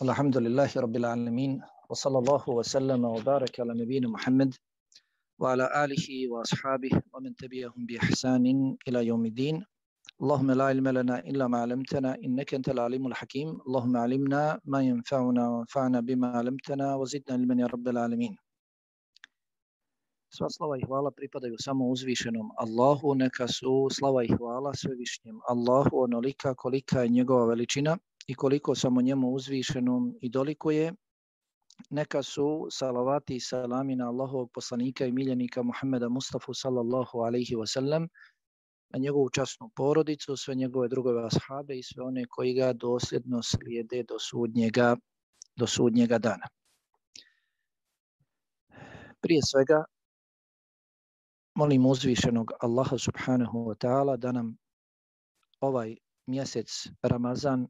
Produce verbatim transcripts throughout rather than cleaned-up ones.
Alhamdulillahi Rabbil Alamin, wa sallallahu wa sallama wa baraka ala nabina Muhammad wa ala alihi wa ashabihi wa man tabi'ahum bi ihsanin ila yawmiddin. Allahumma la ilma lana illa ma 'allamtana innaka antal alimul hakim. Allahumma 'allimna ma yanfa'una wa anfa'na bima 'allamtana wa zidna ilman ya Rabbil Alamin. Sva slava i hvala pripadaju samo uzvišenom Allahu, neka su slava i hvala svevišnjem Allahu onolika kolika je njegova veličina i koliko samo njemu uzvišenom i dolikuje. Neka su salavati i salami na Allahovog poslanika i miljenika Muhammeda Mustafa sallallahu alaihi wasallam, na njegovu časnu porodicu, sve njegove drugove ashabe i sve one koji ga dosljedno slijede do sudnjega, do sudnjega dana. Prije svega, molim uzvišenog Allaha subhanahu wa ta'ala da nam ovaj mjesec Ramazan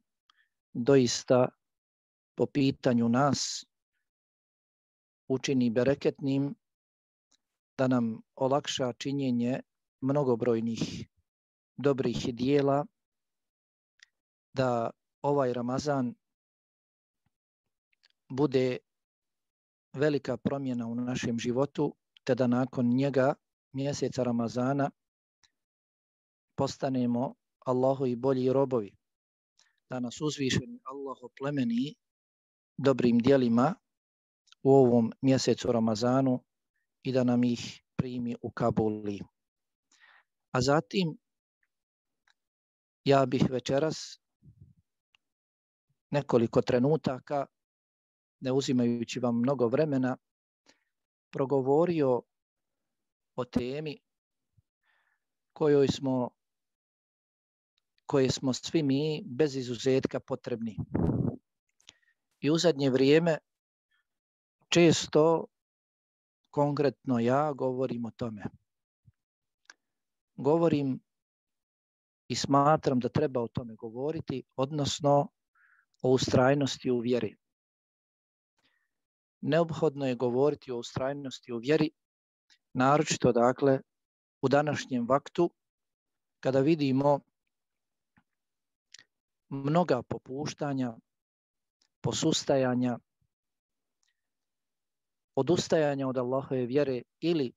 doista po pitanju nas učini bereketnim, da nam olakša činjenje mnogobrojnih dobrih dijela, da ovaj Ramazan bude velika promjena u našem životu, te da nakon njega mjeseca Ramazana postanemo Allahovi bolji robovi, da nas uzvišeni Allah oplemeni dobrim djelima u ovom mjesecu Ramazanu i da nam ih primi u kabuli. A zatim ja bih večeras nekoliko trenutaka, ne uzimajući vam mnogo vremena, progovorio o temi kojoj smo, koje smo svi mi bez izuzetka potrebni. I u zadnje vrijeme često, konkretno ja, govorim o tome. Govorim i smatram da treba o tome govoriti, odnosno o ustrajnosti u vjeri. Neophodno je govoriti o ustrajnosti u vjeri, naročito dakle u današnjem vaktu, kada vidimo mnoga popuštanja, posustajanja, odustajanja od Allahove vjere ili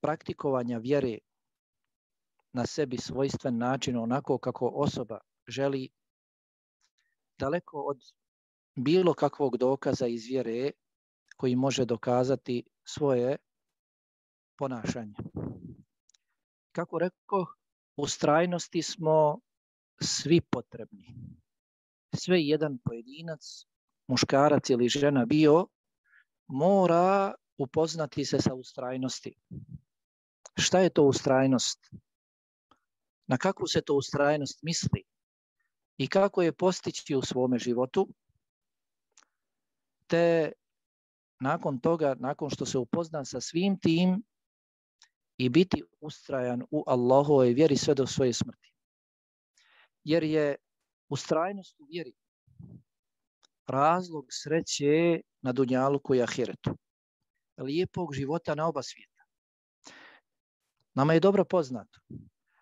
praktikovanja vjere na sebi svojstven način, onako kako osoba želi, daleko od bilo kakvog dokaza iz vjere koji može dokazati svoje ponašanje. Kako rekao, ustrajnosti smo svi potrebni. Sve jedan pojedinac, muškarac ili žena bio, mora upoznati se sa ustrajnosti. Šta je to ustrajnost? Na kakvu se to ustrajnost misli? I kako je postići u svome životu? Te nakon toga, nakon što se upozna sa svim tim, i biti ustrajan u Allahovoj vjeri sve do svoje smrti. Jer je ustrajnost u vjeri razlog sreće na dunjaluku i ahiretu, lijepog života na oba svijeta. Nama je dobro poznato,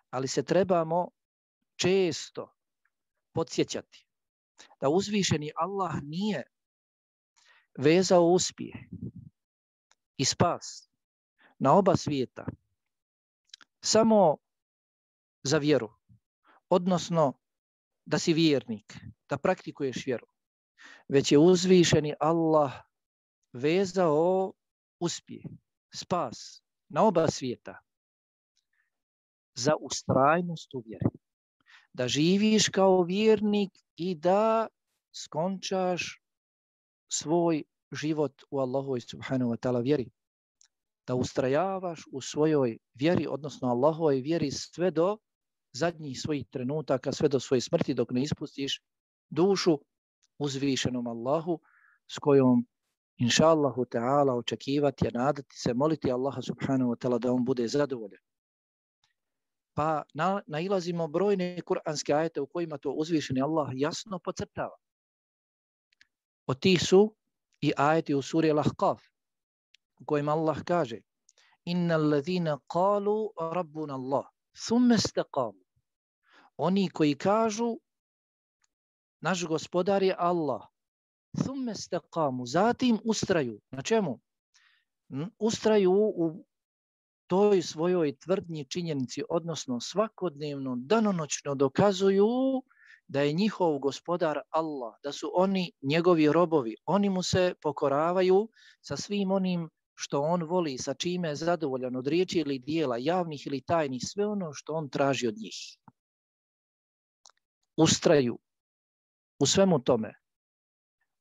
ali se trebamo često podsjećati da uzvišeni Allah nije vezao uspjeh i spas na oba svijeta samo za vjeru, odnosno da si vjernik, da praktikuješ vjeru, već je uzvišeni Allah vezao uspjeh, spas na oba svijeta za ustrajnost u vjeri. Da živiš kao vjernik i da skončaš svoj život u Allahovoj subhanahu wa ta'ala vjeri. Da ustrajavaš u svojoj vjeri, odnosno Allahovoj vjeri sve do zadnjih svojih trenutaka, sve do svoje smrti, dok ne ispustiš dušu uzvišenom Allahu, s kojom inša Allahu ta'ala očekivati, nadati se, moliti Allaha subhanahu wa ta'ala da on bude zadovoljan. Pa na, nailazimo brojne kuranske ajete u kojima to uzvišeni Allah jasno podcrtava. Od tih su i ajeti u suri Al-Ahqaf, u kojima Allah kaže: Innal ladhina qalu rabbuna Allah, thumma istaqamu. Oni koji kažu naš gospodar je Allah. Thumme istaqamu, zatim ustraju. Na čemu? Ustraju u toj svojoj tvrdnji činjenici, odnosno svakodnevno, danonoćno dokazuju da je njihov gospodar Allah, da su oni njegovi robovi. Oni mu se pokoravaju sa svim onim što on voli, sa čime je zadovoljan od riječi ili dijela, javnih ili tajnih, sve ono što on traži od njih. Ustraju u svemu tome.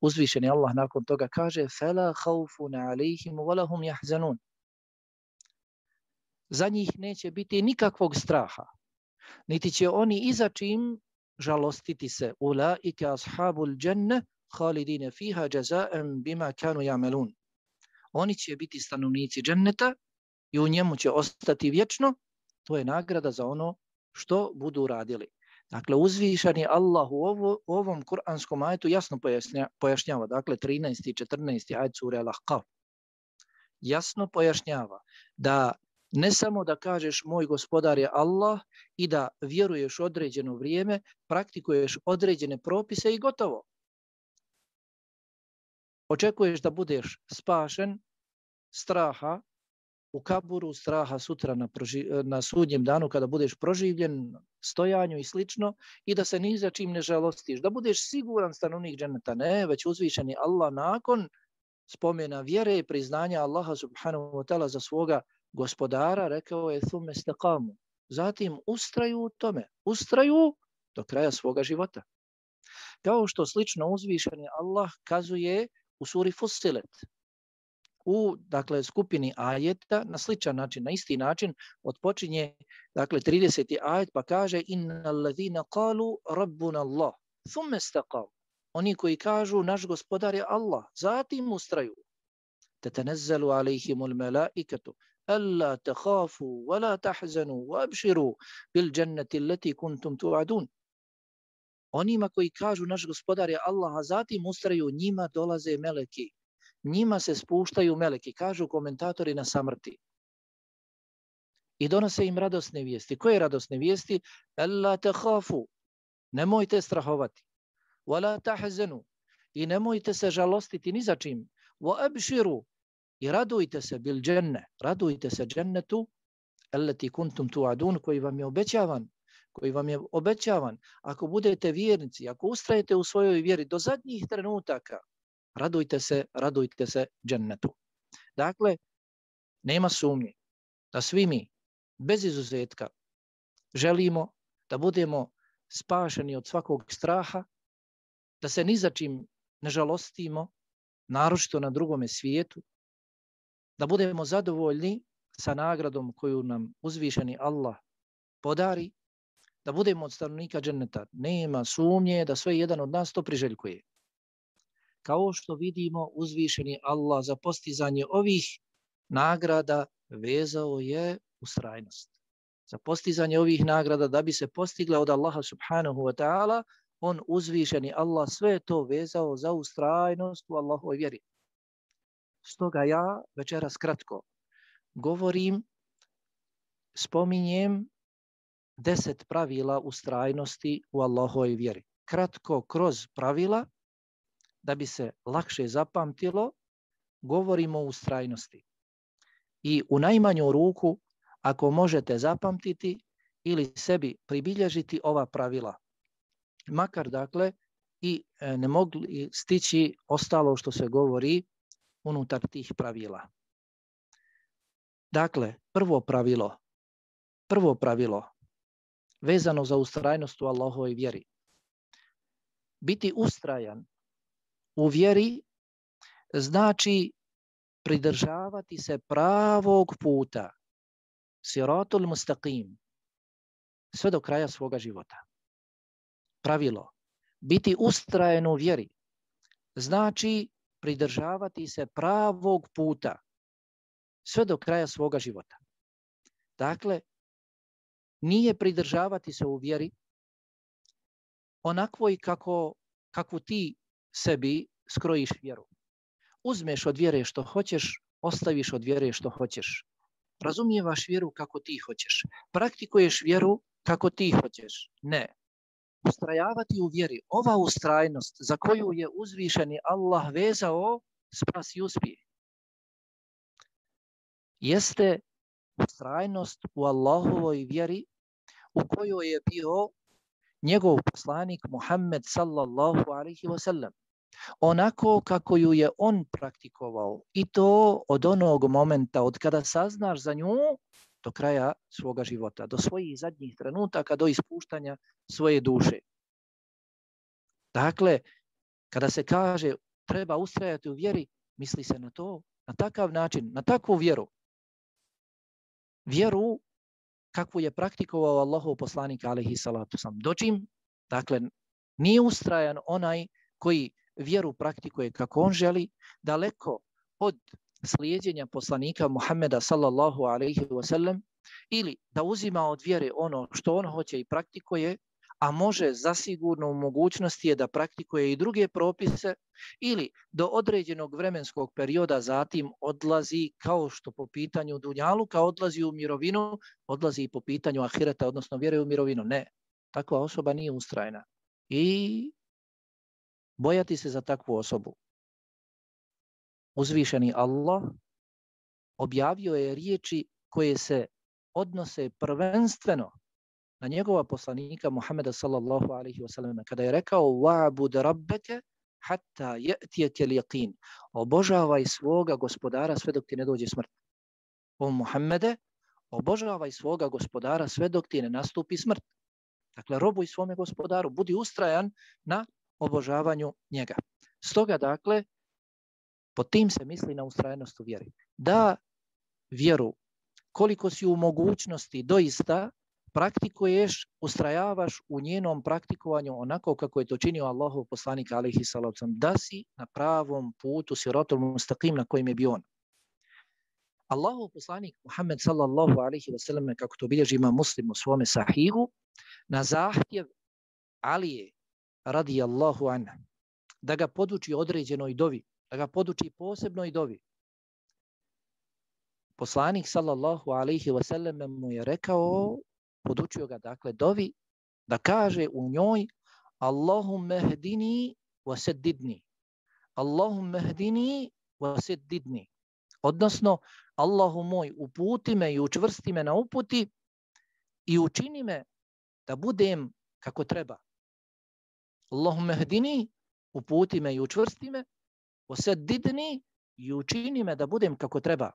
Uzvišeni Allah nakon toga kaže فَلَا خَوْفٌ عَلَيْهِمْ وَلَهُمْ يَحْزَنُونَ. Za njih neće biti nikakvog straha, niti će oni iza čim žalostiti se. Ulaika ashabul dženne khalidine fiha jaza'an bima kanu ya'malun. Oni će biti stanovnici dženneta i u njemu će ostati vječno. To je nagrada za ono što budu radili. Dakle, uzvišeni Allah u, ovo, u ovom kuranskom ajetu jasno pojašnja, pojašnjava. Dakle, trinaesti i četrnaesti ajet sure Al-Ahqaf. Jasno pojašnjava da ne samo da kažeš moj gospodar je Allah i da vjeruješ određeno vrijeme, praktikuješ određene propise i gotovo. Očekuješ da budeš spašen straha u kaburu, straha sutra na, proži, na sudnjem danu kada budeš proživljen, stojanju i slično, i da se ni za čim ne žalostiš, da budeš siguran stanovnik dženeta. Ne, već uzvišeni Allah nakon spomena vjere i priznanja Allaha subhanahu wa ta'ala za svoga gospodara rekao je thumme istaqamu. Zatim ustraju u tome, ustraju do kraja svoga života. Kao što slično uzvišeni Allah kazuje u suri Fussilet, u dakle skupini ajeta na sličan način, na isti način odpočinje dakle trideseti ajet pa kaže innal ladhina qalu rabbuna Allah thumma istaqamu. Oni koji kažu naš gospodar je Allah, zatim ustraju. Tatanazzalu alayhimul malaikatu alla takhafu wa la tahzanu wa abshiru bil jannati allati kuntum tu'adun. Onima koji kažu naš gospodar je Allah, a zatim ustraju, njima dolaze meleki. Njima se spuštaju meleki, kažu komentatori na samrti. I donose im radosne vijesti. Koje radosne vijesti? Alla takhafu. Nemojte strahovati. Wa la tahzanu. I nemojte se žalostiti ni za čim. Wa abshiru. I radujte se bil dženne. Radujte se džennetu allati kuntum tu'adun, koji vam je obećavan. koji vam je obećavan. Ako budete vjernici, ako ustrajete u svojoj vjeri do zadnjih trenutaka, radujte se, radujte se džennetu. Dakle, nema sumnje da svi mi, bez izuzetka, želimo da budemo spašeni od svakog straha, da se ni za čim ne žalostimo, naročito na drugome svijetu, da budemo zadovoljni sa nagradom koju nam uzvišeni Allah podari, da budemo od stanovnika dženneta. Nema sumnje da sve jedan od nas to priželjkuje. Kao što vidimo, uzvišeni Allah za postizanje ovih nagrada vezao je ustrajnost. Za postizanje ovih nagrada da bi se postigla od Allaha subhanahu wa ta'ala, on uzvišeni Allah sve to vezao za ustrajnost u Allahovoj vjeri. Stoga ja večeras kratko govorim, spominjem deset pravila ustrajnosti u Allahovoj vjeri. Kratko kroz pravila, da bi se lakše zapamtilo, govorimo o ustrajnosti. I u najmanju ruku, ako možete zapamtiti ili sebi pribilježiti ova pravila, makar dakle i ne mogli stići ostalo što se govori unutar tih pravila. Dakle, prvo pravilo, prvo pravilo vezano za ustrajnost u Allahovoj vjeri. Biti ustrajan u vjeri znači pridržavati se pravog puta, siratul mustaqim, sve do kraja svoga života. Pravilo, biti ustrajan u vjeri znači pridržavati se pravog puta, sve do kraja svoga života. Dakle, nije pridržavati se u vjeri onakvoj kako, kako ti sebi skrojiš vjeru. Uzmeš od vjere što hoćeš, ostaviš od vjere što hoćeš. Razumijevaš vjeru kako ti hoćeš. Praktikuješ vjeru kako ti hoćeš. Ne. ustrajavati u vjeri, ova ustrajnost za koju je uzvišeni Allah vezao spas i uspjeh, jeste ustrajnost u Allahovoj vjeri u kojoj je bio njegov poslanik Muhammed sallallahu alaihi wa sallam. Onako kako ju je on praktikovao i to od onog momenta od kada saznaš za nju do kraja svoga života, do svojih zadnjih trenutaka, do ispuštanja svoje duše. Dakle, kada se kaže treba ustrajati u vjeri, misli se na to, na takav način, na takvu vjeru. Vjeru kakvu je praktikovao Allahov poslanik alejhi salatu vesselam. Dočim, dakle, nije ustrajan onaj koji vjeru praktikuje kako on želi, daleko od slijedjenja poslanika Muhammeda sallallahu alejhi ve sellem, ili da uzima od vjere ono što on hoće i praktikuje, a može zasigurno u mogućnosti je da praktikuje i druge propise, ili do određenog vremenskog perioda zatim odlazi, kao što po pitanju dunjaluka odlazi u mirovinu, odlazi i po pitanju ahireta, odnosno vjere u mirovinu. Ne, takva osoba nije ustrajna. I bojati se za takvu osobu. Uzvišeni Allah objavio je riječi koje se odnose prvenstveno na njegova poslanika Muhammeda sallallahu alaihi wa sallam, kada je rekao wa'bud rabbeke hatta ya'tiyakal yaqin, obožavaj svoga gospodara sve dok ti ne dođe smrt. O Muhammede, obožavaj svoga gospodara sve dok ti ne nastupi smrt. Dakle, robuj svome gospodaru, budi ustrajan na obožavanju njega. Stoga, dakle, pod tim se misli na ustrajnost u vjeri. Da vjeru, koliko si u mogućnosti doista praktikuješ, ustrajavaš u njenom praktikovanju onako kako je to činio Allahov poslanik alejhi salatu vesselam, da si na pravom putu, siratul mustaqim na kojem je bio on. Allahov poslanik Muhammed sallallahu alejhi ve sellem, kako to bilježi Imam Muslim u svome sahihu, na zahtjev Alije radijallahu anhu, da ga poduči određenoj dovi, da ga poduči posebnoj dovi. Poslanik sallallahu alejhi ve sellem mu je rekao, podučio ga dakle dovi, da kaže u njoj Allahumme hdini wa seddidni. Allahumme hdini wa seddidni. Odnosno, Allahu moj, uputi me i učvrsti me na uputi i učini me da budem kako treba. Allahumme hdini, uputi me i učvrsti me, wa seddidni, i učini me da budem kako treba.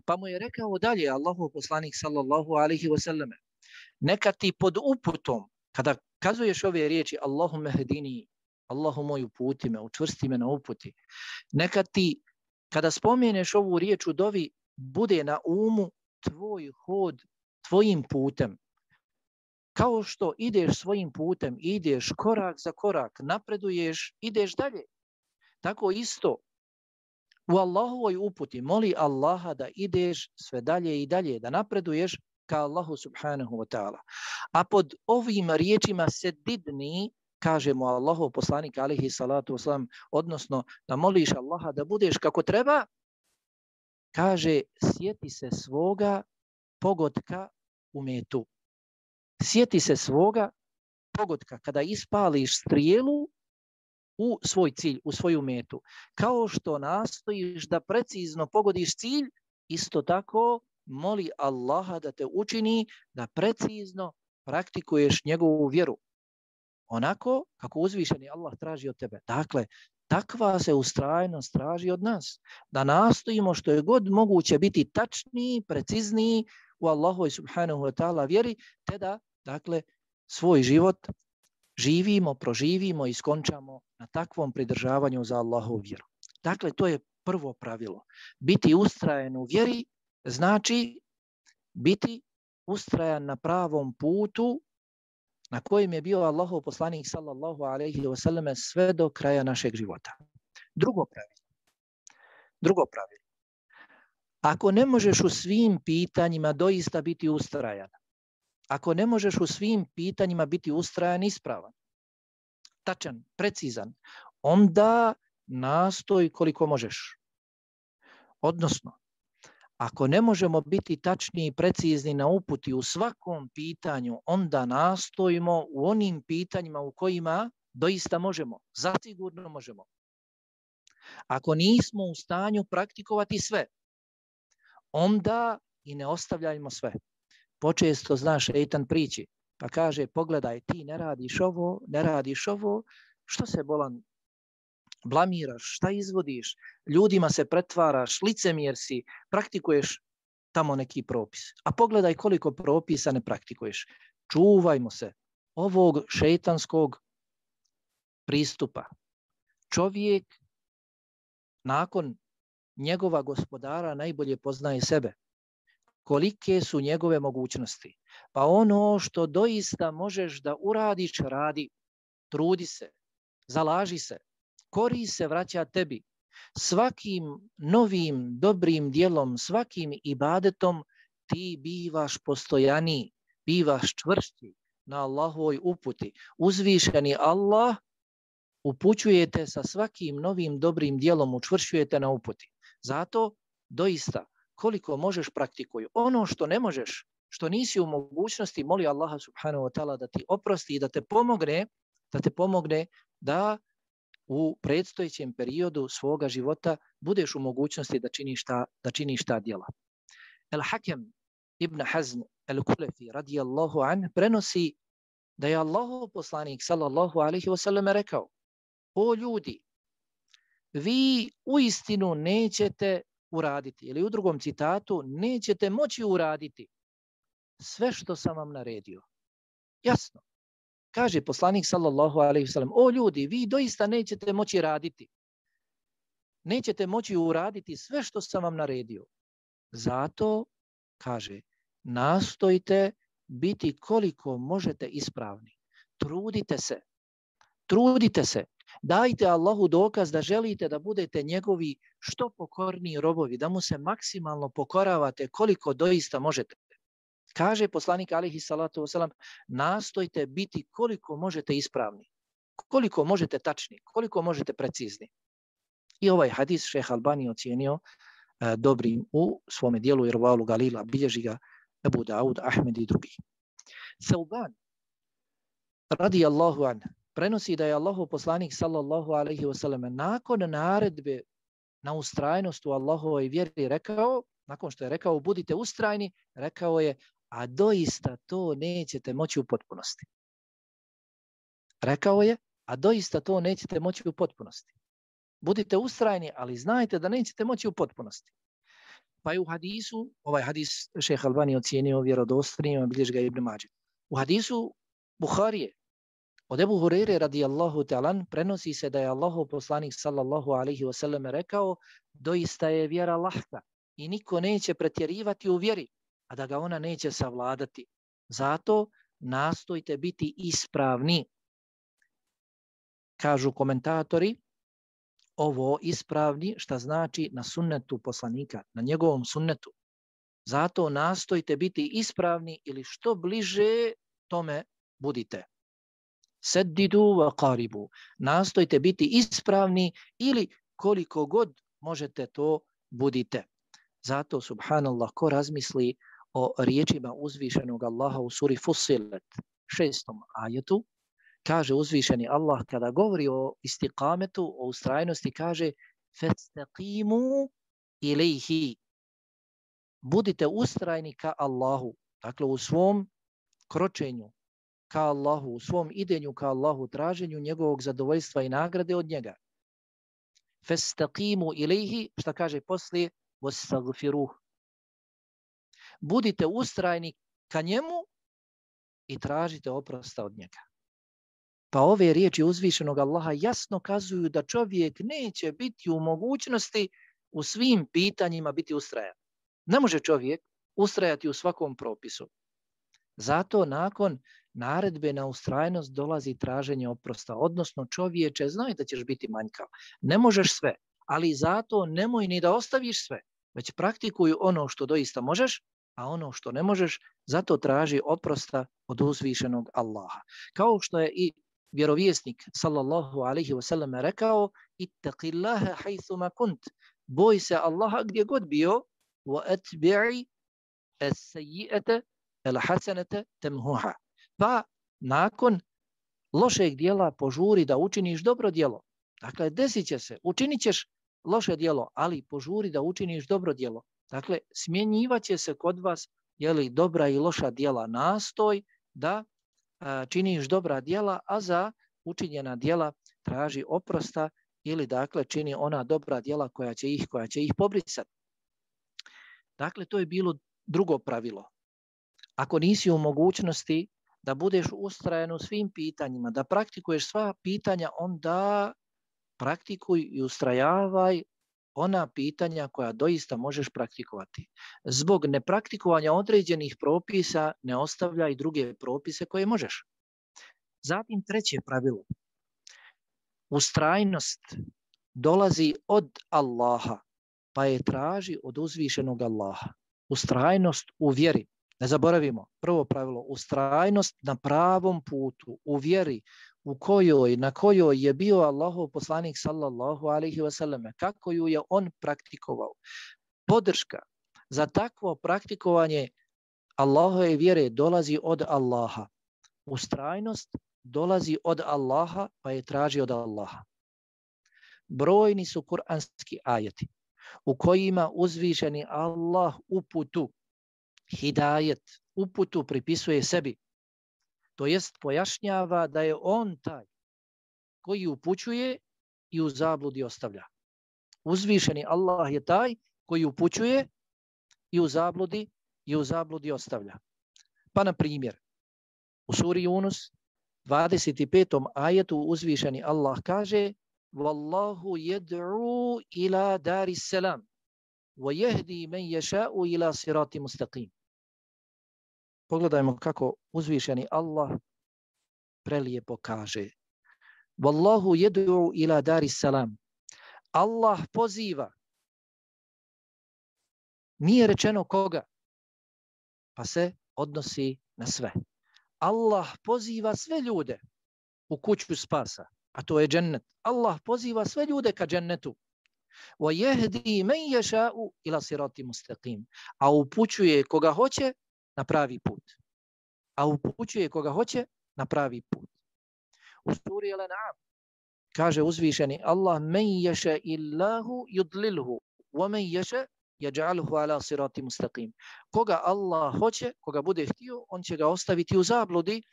Pa mu je rekao dalje Allahov poslanik sallallahu alejhi ve sellem, neka ti pod uputom, kada kazuješ ove riječi Allahumme hdini, Allahu moj, uputi me, učvrsti me na uputi, neka ti kada spomeneš ovu riječ u dovi bude na umu tvoj hod tvojim putem. Kao što ideš svojim putem, ideš korak za korak, napreduješ, ideš dalje. Tako isto u Allahovoj uputi moli Allaha da ideš sve dalje i dalje, da napreduješ ka Allahu subhanahu wa ta'ala. A pod ovim riječima sedidni, kažemo Allahov poslanik alejhi salatu vesselam, odnosno da moliš Allaha da budeš kako treba, kaže sjeti se svoga pogotka u metu. Sjeti se svoga pogotka kada ispališ strijelu u svoj cilj, u svoju metu. Kao što nastojiš da precizno pogodiš cilj, isto tako moli Allaha da te učini da precizno praktikuješ njegovu vjeru. Onako kako uzvišeni Allah traži od tebe. Dakle, takva se ustrajnost traži od nas. Da nastojimo što je god moguće biti tačniji, precizniji u Allahovoj subhanahu wa ta'ala vjeri, te da, dakle, svoj život živimo, proživimo i skončamo na takvom pridržavanju za Allahovu vjeru. Dakle, to je prvo pravilo. Biti ustrajan u vjeri znači biti ustrajan na pravom putu na kojem je bio Allahov poslanik sallallahu alejhi ve sellem sve do kraja našeg života. Drugo pravilo. Drugo pravilo. Ako ne možeš u svim pitanjima doista biti ustrajan, ako ne možeš u svim pitanjima biti ustrajan, ispravan, tačan, precizan, onda nastoj koliko možeš. Odnosno, Ako ne možemo biti tačni i precizni na uputi u svakom pitanju, onda nastojimo u onim pitanjima u kojima doista možemo, zasigurno možemo. Ako nismo u stanju praktikovati sve, onda i ne ostavljajmo sve. Počesto, znaš, šejtan priči, pa kaže, pogledaj, ti ne radiš ovo, ne radiš ovo, što se bolan blamiraš, šta izvodiš, ljudima se pretvaraš, licemjer si, praktikuješ tamo neki propis. A pogledaj koliko propisa ne praktikuješ. Čuvajmo se ovog šejtanskog pristupa. Čovjek nakon njegova gospodara najbolje poznaje sebe. Kolike su njegove mogućnosti. Pa ono što doista možeš da uradiš, radi. Trudi se, zalaži se, kori se, vraća tebi. Svakim novim dobrim dijelom, svakim ibadetom ti bivaš postojaniji, bivaš čvršći na Allahovoj uputi. Uzvišeni Allah upućujete sa svakim novim dobrim dijelom, učvršćujete na uputi. Zato doista koliko možeš praktikuj. Ono što ne možeš, što nisi u mogućnosti, moli Allaha subhanahu wa ta'ala da ti oprosti i da te pomogne, da te pomogne da u predstojećem periodu svoga života budeš u mogućnosti da činiš ta, da činiš ta djela. El-Hakem ibn Hazm el-Kulefi radijallahu an prenosi da je Allahov poslanik sallallahu alaihi wasallam rekao: o ljudi, vi uistinu nećete uraditi, ili u drugom citatu, nećete moći uraditi sve što sam vam naredio. Jasno. Kaže poslanik sallallahu alejhi ve sellem: o ljudi, vi doista nećete moći raditi. Nećete moći uraditi sve što sam vam naredio. Zato, kaže, nastojte biti koliko možete ispravni. Trudite se. Trudite se. Dajte Allahu dokaz da želite da budete njegovi što pokorniji robovi, da mu se maksimalno pokoravate koliko doista možete. Kaže poslanik alejhi salatu vesselam: nastojte biti koliko možete ispravni, koliko možete tačni, koliko možete precizni. I ovaj hadis šejh Albani ocijenio e, dobrim u svome dijelu Irvaul Galila, bilježi ga Ebu Daud, Ahmed i drugi. Sauban radijallahu an prenosi da je Allahov poslanik sallallahu alejhi ve sellem nakon naredbe na ustrajnost u Allahovoj vjeri rekao, nakon što je rekao budite ustrajni, rekao je: a doista to nećete moći u potpunosti. Rekao je, a doista to nećete moći u potpunosti. Budite ustrajni, ali znajte da nećete moći u potpunosti. Pa je u hadisu, ovaj hadis šejh Albani ocijenio vjerodostojnim, bilježi ga Ibn Mađid. U hadisu Buharije od Ebu Hurajre radijallahu ta'ala prenosi se da je Allahov poslanik sallallahu alejhi ve sellem rekao: doista je vjera lahka i niko neće pretjerivati u vjeri, a da ga ona neće savladati. Zato nastojte biti ispravni. Kažu komentatori, ovo ispravni šta znači na sunnetu poslanika, na njegovom sunnetu. Zato nastojte biti ispravni ili što bliže tome budite. Seddidu wa qaribu. Nastojte biti ispravni ili koliko god možete to budite. Zato, subhanallah, ko razmisli o riječima uzvišenog Allaha u suri Fussilet, šestom ajetu, kaže uzvišeni Allah kada govori o istiqametu, o ustrajnosti, kaže: fastaqimu ilayhi. Budite ustrajni ka Allahu, dakle u svom kročenju ka Allahu, u svom idenju ka Allahu, traženju njegovog zadovoljstva i nagrade od njega. Fastaqimu ilayhi, šta kaže poslije? Wastaghfiruh. Budite ustrajni ka njemu i tražite oprosta od njega. Pa ove riječi uzvišenog Allaha jasno kazuju da čovjek neće biti u mogućnosti u svim pitanjima biti ustrajan. Ne može čovjek ustrajati u svakom propisu. Zato nakon naredbe na ustrajnost dolazi traženje oprosta. Odnosno čovječe, znaj da ćeš biti manjkav. Ne možeš sve, ali zato nemoj ni da ostaviš sve, već praktikuj ono što doista možeš, a ono što ne možeš, zato traži oprosta od uzvišenog Allaha. Kao što je i vjerovjesnik sallallahu alejhi ve sellem rekao: ittaqillaha haythuma kunt. Boj se Allaha gdje god bio, وَأَتْبِعِ السَّيِّئَةَ الْحَسَنَةَ تَمْهُهَا. Pa nakon lošeg dijela požuri da učiniš dobro djelo. Dakle, desit će se, učinit ćeš loše djelo, ali požuri da učiniš dobro djelo. Dakle, smjenjivat će se kod vas jeli, dobra i loša djela. Nastoj da a, činiš dobra djela, a za učinjena djela traži oprosta ili dakle čini ona dobra djela koja će ih, koja će ih pobrisati. Dakle, to je bilo drugo pravilo. Ako nisi u mogućnosti da budeš ustrajan u svim pitanjima, da praktikuješ sva pitanja, onda praktikuj i ustrajavaj ona pitanja koja doista možeš praktikovati. Zbog nepraktikovanja određenih propisa ne ostavljaj druge propise koje možeš. Zatim treće pravilo. Ustrajnost dolazi od Allaha, pa je traži od uzvišenog Allaha. Ustrajnost u vjeri. Ne zaboravimo, prvo pravilo, ustrajnost na pravom putu, u vjeri u kojoj, na kojoj je bio Allahov poslanik sallallahu alaihi wasallam, kako ju je on praktikovao. Podrška za takvo praktikovanje Allahove vjere dolazi od Allaha. Ustrajnost dolazi od Allaha, pa je traži od Allaha. Brojni su kuranski ajeti u kojima uzvišeni Allah uputu, hidajet, uputu pripisuje sebi. To jest pojašnjava da je on taj koji upućuje i u zabludi ostavlja. Uzvišeni Allah je taj koji upućuje i u zabludi i u zabludi ostavlja. Pa na primjer, u suri Yunus dvadeset petom ajetu uzvišeni Allah kaže: Wallahu yad'u ila daris salam wa yahdi man yasha'u ila sirati mustaqim. Pogledajmo kako uzvišeni Allah prelijepo kaže. Wallahu yad'u ila daris salam. Allah poziva. Nije rečeno koga, pa se odnosi na sve. Allah poziva sve ljude u kuću spasa, a to je džennet. Allah poziva sve ljude ka džennetu. Wa yahdi man yasha'u ila sirati mustaqim. A upućuje koga hoće na pravi put. A upućuje koga hoće na pravi put. U suri Al-An'am kaže uzvišeni Allah: "Men yasha illahu yudlilhu, wa men yasha yaj'alhu ala sirati mustaqim." Koga Allah hoće, koga bude htio, on će ga ostaviti u zabludi,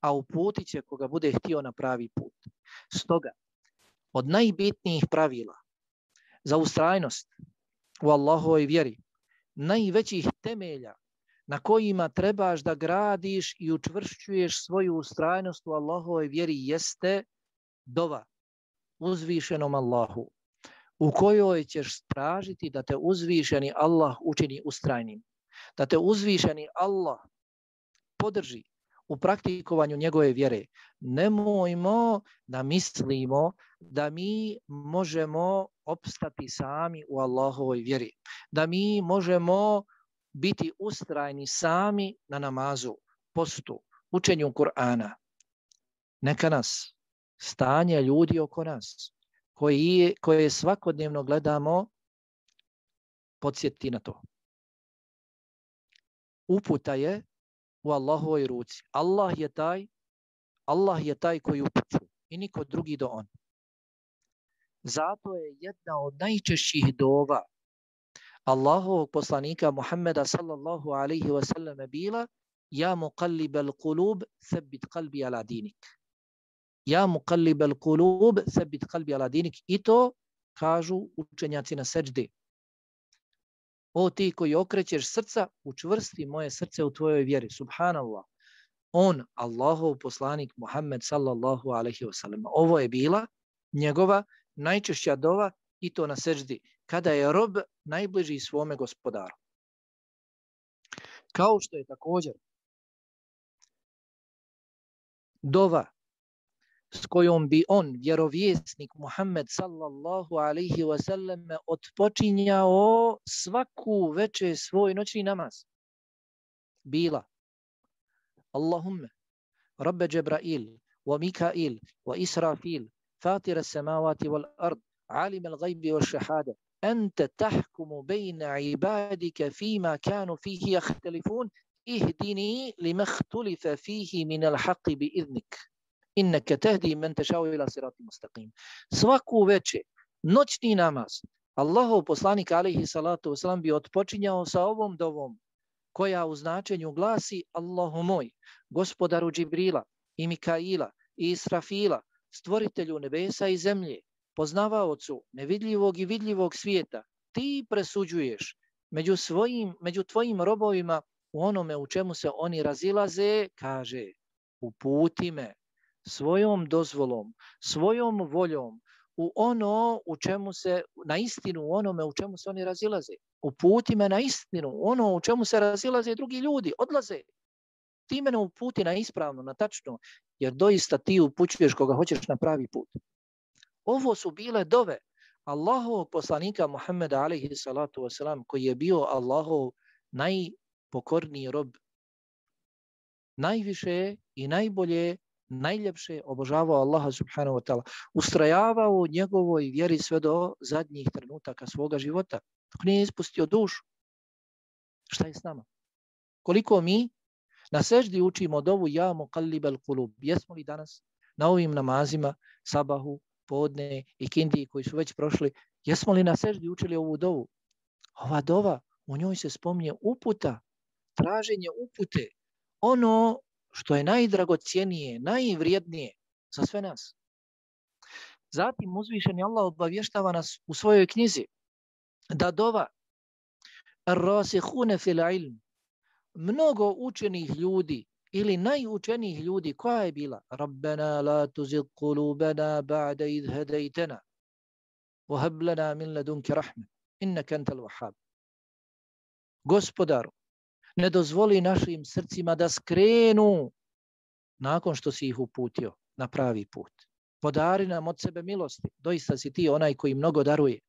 a uputit će koga bude htio na pravi put. Stoga, od najbitnijih pravila za ustrajnost u Allahovoj vjeri, najvećih temelja na kojima trebaš da gradiš i učvršćuješ svoju ustrajnost u Allahovoj vjeri jeste dova uzvišenom Allahu, u kojoj ćeš tražiti da te uzvišeni Allah učini ustrajnim, da te uzvišeni Allah podrži u praktikovanju njegove vjere. Nemojmo da mislimo da mi možemo opstati sami u Allahovoj vjeri, da mi možemo biti ustrajni sami na namazu, postu, učenju Kur'ana. Neka nas stanje ljudi oko nas, koji, koje svakodnevno gledamo, podsjeti na to. Uputa je u Allahovoj ruci. Allah je taj, Allah je taj koji upućuje i niko drugi do on. Zato je jedna od najčešćih dova Allahovog poslanika Muhammeda sallallahu alaihi wa sallam bila: Ja muqallibal qulub, thabbit qalbi ala dinik. Ja muqallibal qulub, thabbit qalbi ala dinik. I to kažu učenjaci na seđdi. O ti koji okrećeš srca, učvrsti moje srce u tvojoj vjeri. Subhanallah. On, Allahov poslanik Muhammed sallallahu alaihi wa sallam. Ovo je bila njegova najčešća dova i to na seđdi, kada je rob najbliži svome gospodaru. Kao što je također dova s kojom bi on, vjerovjesnik Muhammed sallallahu alaihi wa sallam, otpočinjao svaku večer svoj noćni namaz, bila: Allahumme Rabbe Džebrail, wa Mikail, wa Israfil, Fatira samavati wal ard, alim al-ghaybi wash-shahada anta tahkumu bayna ibadika fima kanu fihi yakhtalifun ihdini lima ikhtalafa fihi min al-haqqi bi'idhnik innaka tahdi man tashau ila siratin mustaqim. Svaku večer noćni namaz Allahov poslanik alejhi salatu vesselam bi otpočinjao sa ovom dovom koja u značenju glasi: Allahu moj, gospodaru Džibrila i Mikaila i Israfila, stvoritelju nebesa i zemlje, poznavaocu nevidljivog i vidljivog svijeta, ti presuđuješ među svojim, među tvojim robovima u onome u čemu se oni razilaze, kaže, uputi me svojom dozvolom, svojom voljom u ono u čemu se, na istinu u onome u čemu se oni razilaze. Uputi me na istinu, ono u čemu se razilaze drugi ljudi, odlaze. Ti mene uputi na ispravno, na tačno, jer doista ti upućuješ koga hoćeš na pravi put. Ovo su bile dove Allahovog poslanika Muhammeda alejhi salatu wasalam, koji je bio Allahov najpokorniji rob. Najviše i najbolje, najljepše obožavao Allaha subhanahu wa ta'ala. Ustrajavao u njegovoj vjeri sve do zadnjih trenutaka svoga života. Dok nije ispustio dušu. Šta je s nama? Koliko mi na seždi učimo dovu ja muqallibal qulub? Jesmo li danas na ovim namazima, sabahu, podne i kindiji koji su već prošli, jesmo li na seždi učili ovu dovu? Ova dova, u njoj se spominje uputa, traženje upute, ono što je najdragocjenije, najvrijednije za sve nas. Zatim uzvišeni Allah obavještava nas u svojoj knjizi da dova ar-rasihune fil ilm, mnogo učenih ljudi ili najučenijih ljudi, koja je bila? Rabbena la tuzigh qulubana ba'da idh hadaytana wa hab lana min ladunka rahme innaka antal wahhab. Gospodaru, ne dozvoli našim srcima da skrenu nakon što si ih uputio na pravi put. Podari nam od sebe milosti. Doista si ti onaj koji mnogo daruje.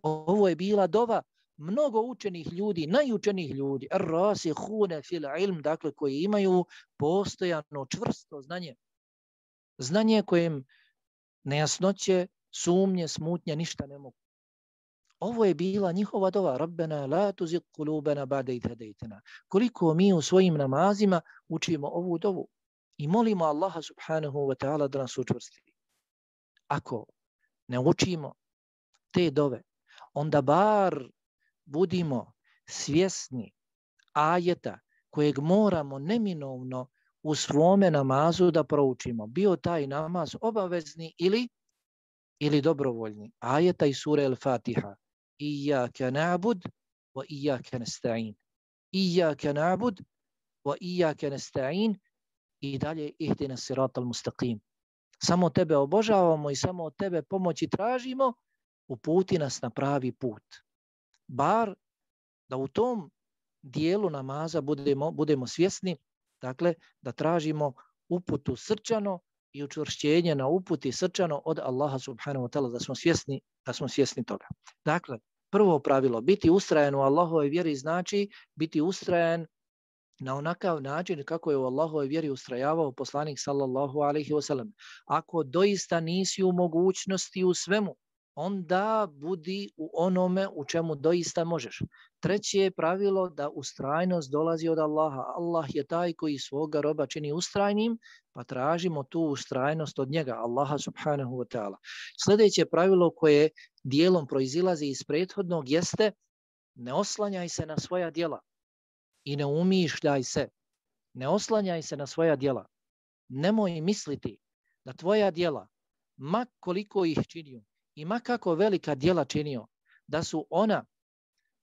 Ovo je bila dova mnogo učenih ljudi, najučenih ljudi, ar-rasihune fil ilm, dakle koji imaju postojano čvrsto znanje. Znanje kojem nejasnoće, sumnje, smutnje ništa ne mogu. Ovo je bila njihova dova. Rabbena la tuzigh qulubana ba'da idh hadaytana. Koliko mi u svojim namazima učimo ovu dovu i molimo Allaha subhanahu wa ta'ala da nas učvrsti. Ako ne učimo te dove, onda bar budimo svjesni ajeta kojeg moramo neminovno u svome namazu da proučimo. Bio taj namaz obavezni ili ili dobrovoljni. Ajeta iz sure Al-Fatiha. Iyaka na'bud wa iyaka nasta'in. Iyaka na'bud wa iyaka nasta'in i dalje ihdina siratal mustaqim. Samo tebe obožavamo i samo od tebe pomoći tražimo, uputi nas na pravi put. Bar da u tom dijelu namaza budemo, budemo svjesni, dakle, da tražimo uputu srčano i učvršćenje na uputi srčano od Allaha subhanahu wa ta'ala, da smo svjesni, da smo svjesni toga. Dakle, prvo pravilo, biti ustrajan u Allahovoj vjeri znači biti ustrajan na onakav način kako je u Allahovoj vjeri ustrajavao poslanik sallallahu alejhi ve sellem. Ako doista nisi u mogućnosti u svemu, onda budi u onome u čemu doista možeš. Treće je pravilo da ustrajnost dolazi od Allaha. Allah je taj koji svoga roba čini ustrajnim, pa tražimo tu ustrajnost od njega, Allaha subhanahu wa ta'ala. Sljedeće pravilo koje dijelom proizilazi iz prethodnog jeste: ne oslanjaj se na svoja djela i ne umišljaj se. Ne oslanjaj se na svoja djela. Nemoj misliti da tvoja djela, ma koliko ih činio i ma kako velika djela činio, da su ona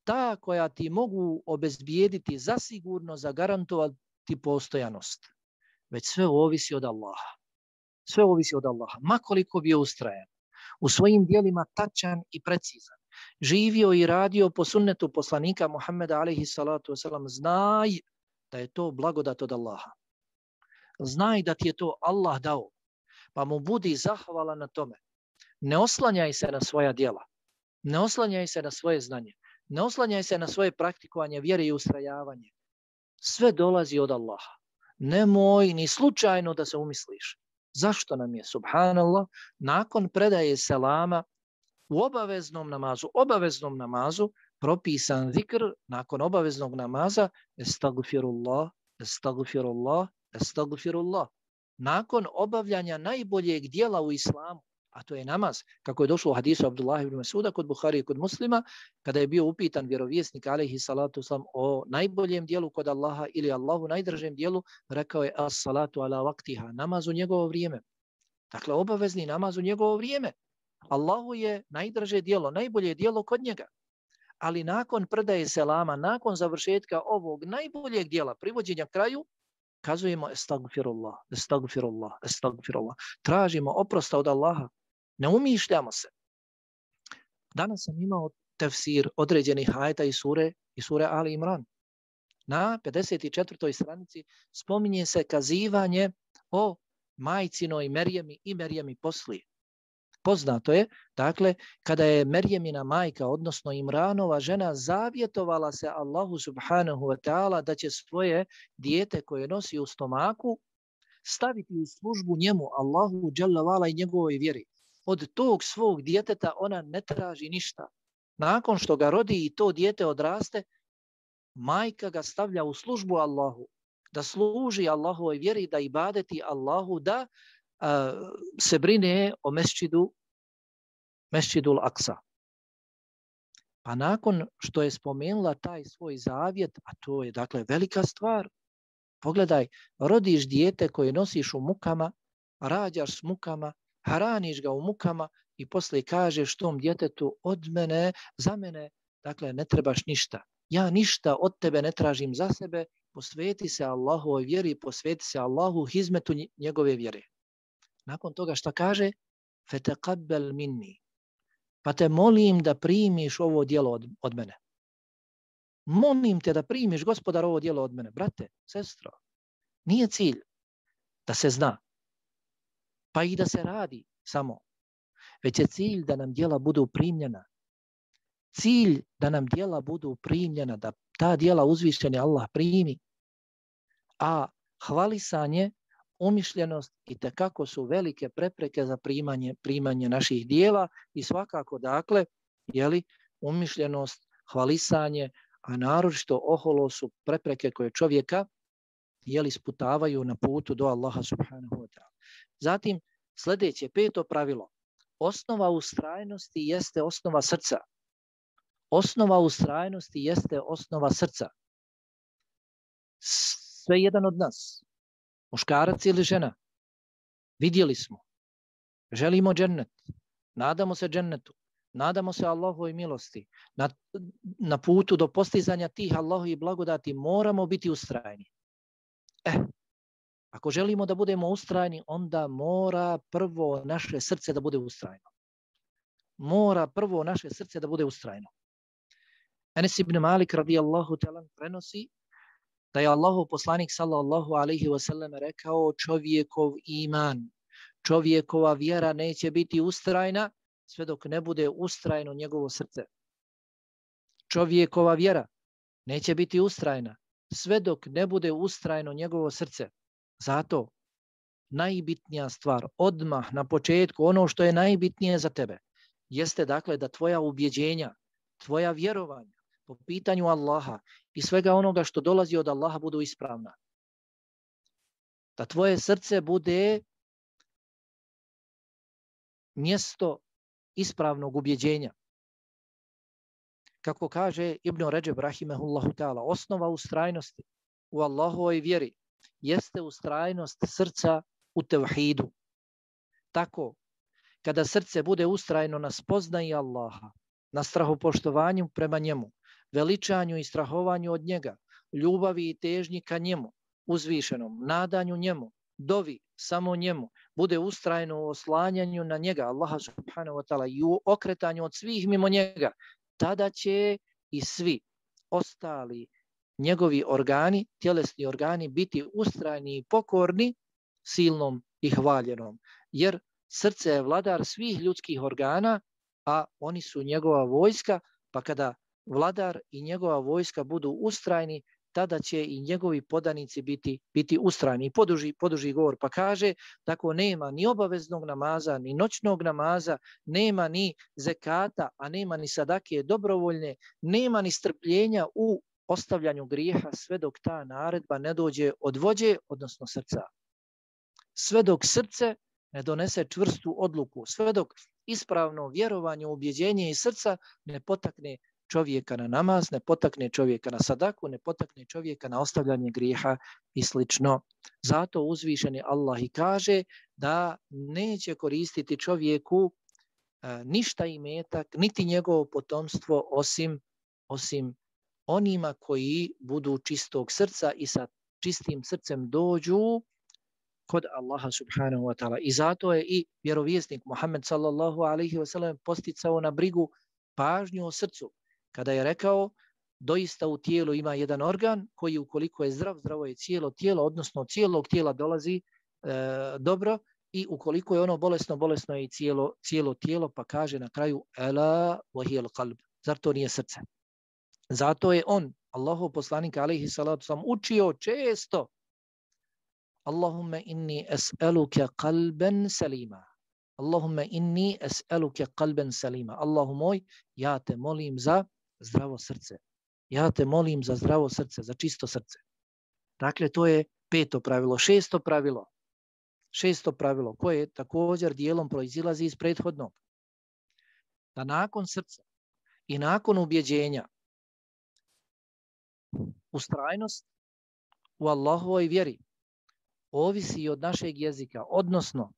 ta koja ti mogu obezbijediti, zasigurno zagarantovati postojanost. Već sve ovisi od Allaha. Sve ovisi od Allaha. Ma koliko bio ustrajan, u svojim djelima tačan i precizan, živio i radio po sunnetu poslanika Muhammeda alejhi salatu wasalam, znaj da je to blagodat od Allaha. Znaj da ti je to Allah dao, pa mu budi zahvalan na tome. Ne oslanjaj se na svoja djela, ne oslanjaj se na svoje znanje, ne oslanjaj se na svoje praktikovanje vjere i ustrajavanje. Sve dolazi od Allaha. Nemoj ni slučajno da se umisliš Zašto nam je, subhanallah, nakon predaje selama u obaveznom namazu, obaveznom namazu, propisan zikr nakon obaveznog namaza, estagfirullah, estagfirullah, estagfirullah. Nakon obavljanja najboljeg dijela u islamu, a to je namaz, kako je došlo u hadisu Abdullah ibn Masuda kod Buhari i kod Muslima, kada je bio upitan vjerovjesnik alejhi salatu vesselam o najboljem dijelu kod Allaha ili Allahu najdražem dijelu, rekao je as-salatu ala waqtiha, namaz u njegovo vrijeme. Dakle, obavezni namaz u njegovo vrijeme. Allahu je najdraže dijelo, najbolje dijelo kod njega. Ali nakon predaje selama, nakon završetka ovog najboljeg dijela, privođenja kraju, kazujemo estagfirullah, estagfirullah, estagfirullah. Tražimo oprosta od Allaha. Ne umišljamo se. Danas sam imao tefsir određenih ajeta i sure, i sure Ali Imran. Na pedeset četvrtoj stranici spominje se kazivanje o majcinoj Merjemi i Merjemi poslije. Poznato je, dakle, kada je Merjemina majka, odnosno Imranova žena, zavjetovala se Allahu subhanahu wa ta'ala da će svoje dijete koje nosi u stomaku staviti u službu njemu, Allahu dželle vala i njegovoj vjeri. Od tog svog djeteta ona ne traži ništa. Nakon što ga rodi i to dijete odraste, majka ga stavlja u službu Allahu, da služi Allahovoj vjeri, da ibadeti Allahu, da a, se brine o mesčidu, mesčidul Aksa. Pa nakon što je spomenula taj svoj zavjet, a to je dakle velika stvar, pogledaj, rodiš dijete koje nosiš u mukama, rađaš s mukama, hraniš ga u mukama i poslije kažeš tom djetetu od mene, za mene, dakle ne trebaš ništa. Ja ništa od tebe ne tražim za sebe, posveti se Allahovoj vjeri, posveti se Allahu hizmetu njegove vjere. Nakon toga šta kaže? Fetaqabbal minni. Pa te molim da primiš ovo djelo od, od mene. Molim te da primiš, Gospodar, ovo djelo od mene. Brate, sestro, nije cilj da se zna, pa i da se radi samo, već je cilj da nam djela budu primljena. Cilj da nam djela budu primljena, da ta djela uzvišeni Allah primi. A hvalisanje, umišljenost i tekako su velike prepreke za primanje, primanje naših djela i svakako, dakle, jeli, umišljenost, hvalisanje, a naročito oholo su prepreke koje čovjeka jeli, sputavaju na putu do Allaha subhanahu wa ta'ala. Zatim, sljedeće, peto pravilo. Osnova ustrajnosti jeste osnova srca. Osnova ustrajnosti jeste osnova srca. Sve jedan od nas, muškarac ili žena, vidjeli smo, želimo džennet, nadamo se džennetu, nadamo se Allahovoj milosti, na, na putu do postizanja tih Allahovih blagodati moramo biti ustrajni. Eh, ako želimo da budemo ustrajni, onda mora prvo naše srce da bude ustrajno. Mora prvo naše srce da bude ustrajno. Enes ibn Malik radijallahu ta'ala prenosi da je Allahov poslanik sallallahu alaihi wa sallam rekao čovjekov iman, čovjekova vjera neće biti ustrajna sve dok ne bude ustrajno njegovo srce. Čovjekova vjera neće biti ustrajna sve dok ne bude ustrajno njegovo srce. Zato najbitnija stvar, odmah na početku, ono što je najbitnije za tebe, jeste dakle da tvoja ubjeđenja, tvoja vjerovanja po pitanju Allaha i svega onoga što dolazi od Allaha budu ispravna. Da tvoje srce bude mjesto ispravnog ubjeđenja. Kako kaže Ibn Ređeb rahimehullahu ta'ala, osnova ustrajnosti u Allahovoj vjeri jeste ustrajnost srca u tevhidu. Tako, kada srce bude ustrajno na spoznaji Allaha, na strahopoštovanju prema njemu, veličanju i strahovanju od njega, ljubavi i težnji ka njemu, uzvišenom, nadanju njemu, dovi samo njemu, bude ustrajno u oslanjanju na njega, Allaha subhanahu wa ta'ala, i u okretanju od svih mimo njega, tada će i svi ostali njegovi organi, tjelesni organi, biti ustrajni i pokorni silnom i hvaljenom. Jer srce je vladar svih ljudskih organa, a oni su njegova vojska, pa kada vladar i njegova vojska budu ustrajni, tada će i njegovi podanici biti, biti ustrajni. Poduži, poduži govor pa kaže, tako nema ni obaveznog namaza, ni noćnog namaza, nema ni zekata, a nema ni sadake dobrovoljne, nema ni strpljenja u ostavljanju grijeha sve dok ta naredba ne dođe od vođe, odnosno srca. Sve dok srce ne donese čvrstu odluku, sve dok ispravno vjerovanje, ubjeđenje iz srca ne potakne čovjeka na namaz, ne potakne čovjeka na sadaku, ne potakne čovjeka na ostavljanje grijeha i slično. Zato uzvišeni Allah i kaže da neće koristiti čovjeku e, ništa imetak, niti njegovo potomstvo osim, osim onima koji budu čistog srca i sa čistim srcem dođu kod Allaha subhanahu wa ta'ala. I zato je i vjerovjesnik Muhammed sallallahu alaihi wa sallam posticao na brigu pažnju o srcu. Kada je rekao, doista u tijelu ima jedan organ koji ukoliko je zdrav, zdravo je cijelo tijelo, odnosno od cijelog tijela dolazi e, dobro, i ukoliko je ono bolesno, bolesno je i cijelo, cijelo tijelo, pa kaže na kraju ela wahiyal qalb. Zar to nije srce? Zato je on, Allahov poslanik alejhi salatu vesselam, učio često Allahumma inni es'aluka qalban salima. Allahumma inni es'aluka qalban salima. Allahu moj, ja te molim za zdravo srce. Ja te molim za zdravo srce, za čisto srce. Dakle, to je peto pravilo. Šesto pravilo. Šesto pravilo koje također dijelom proizilazi iz prethodnog. Da nakon srca i nakon ubjeđenja ustrajnost u Allahovoj vjeri ovisi od našeg jezika, odnosno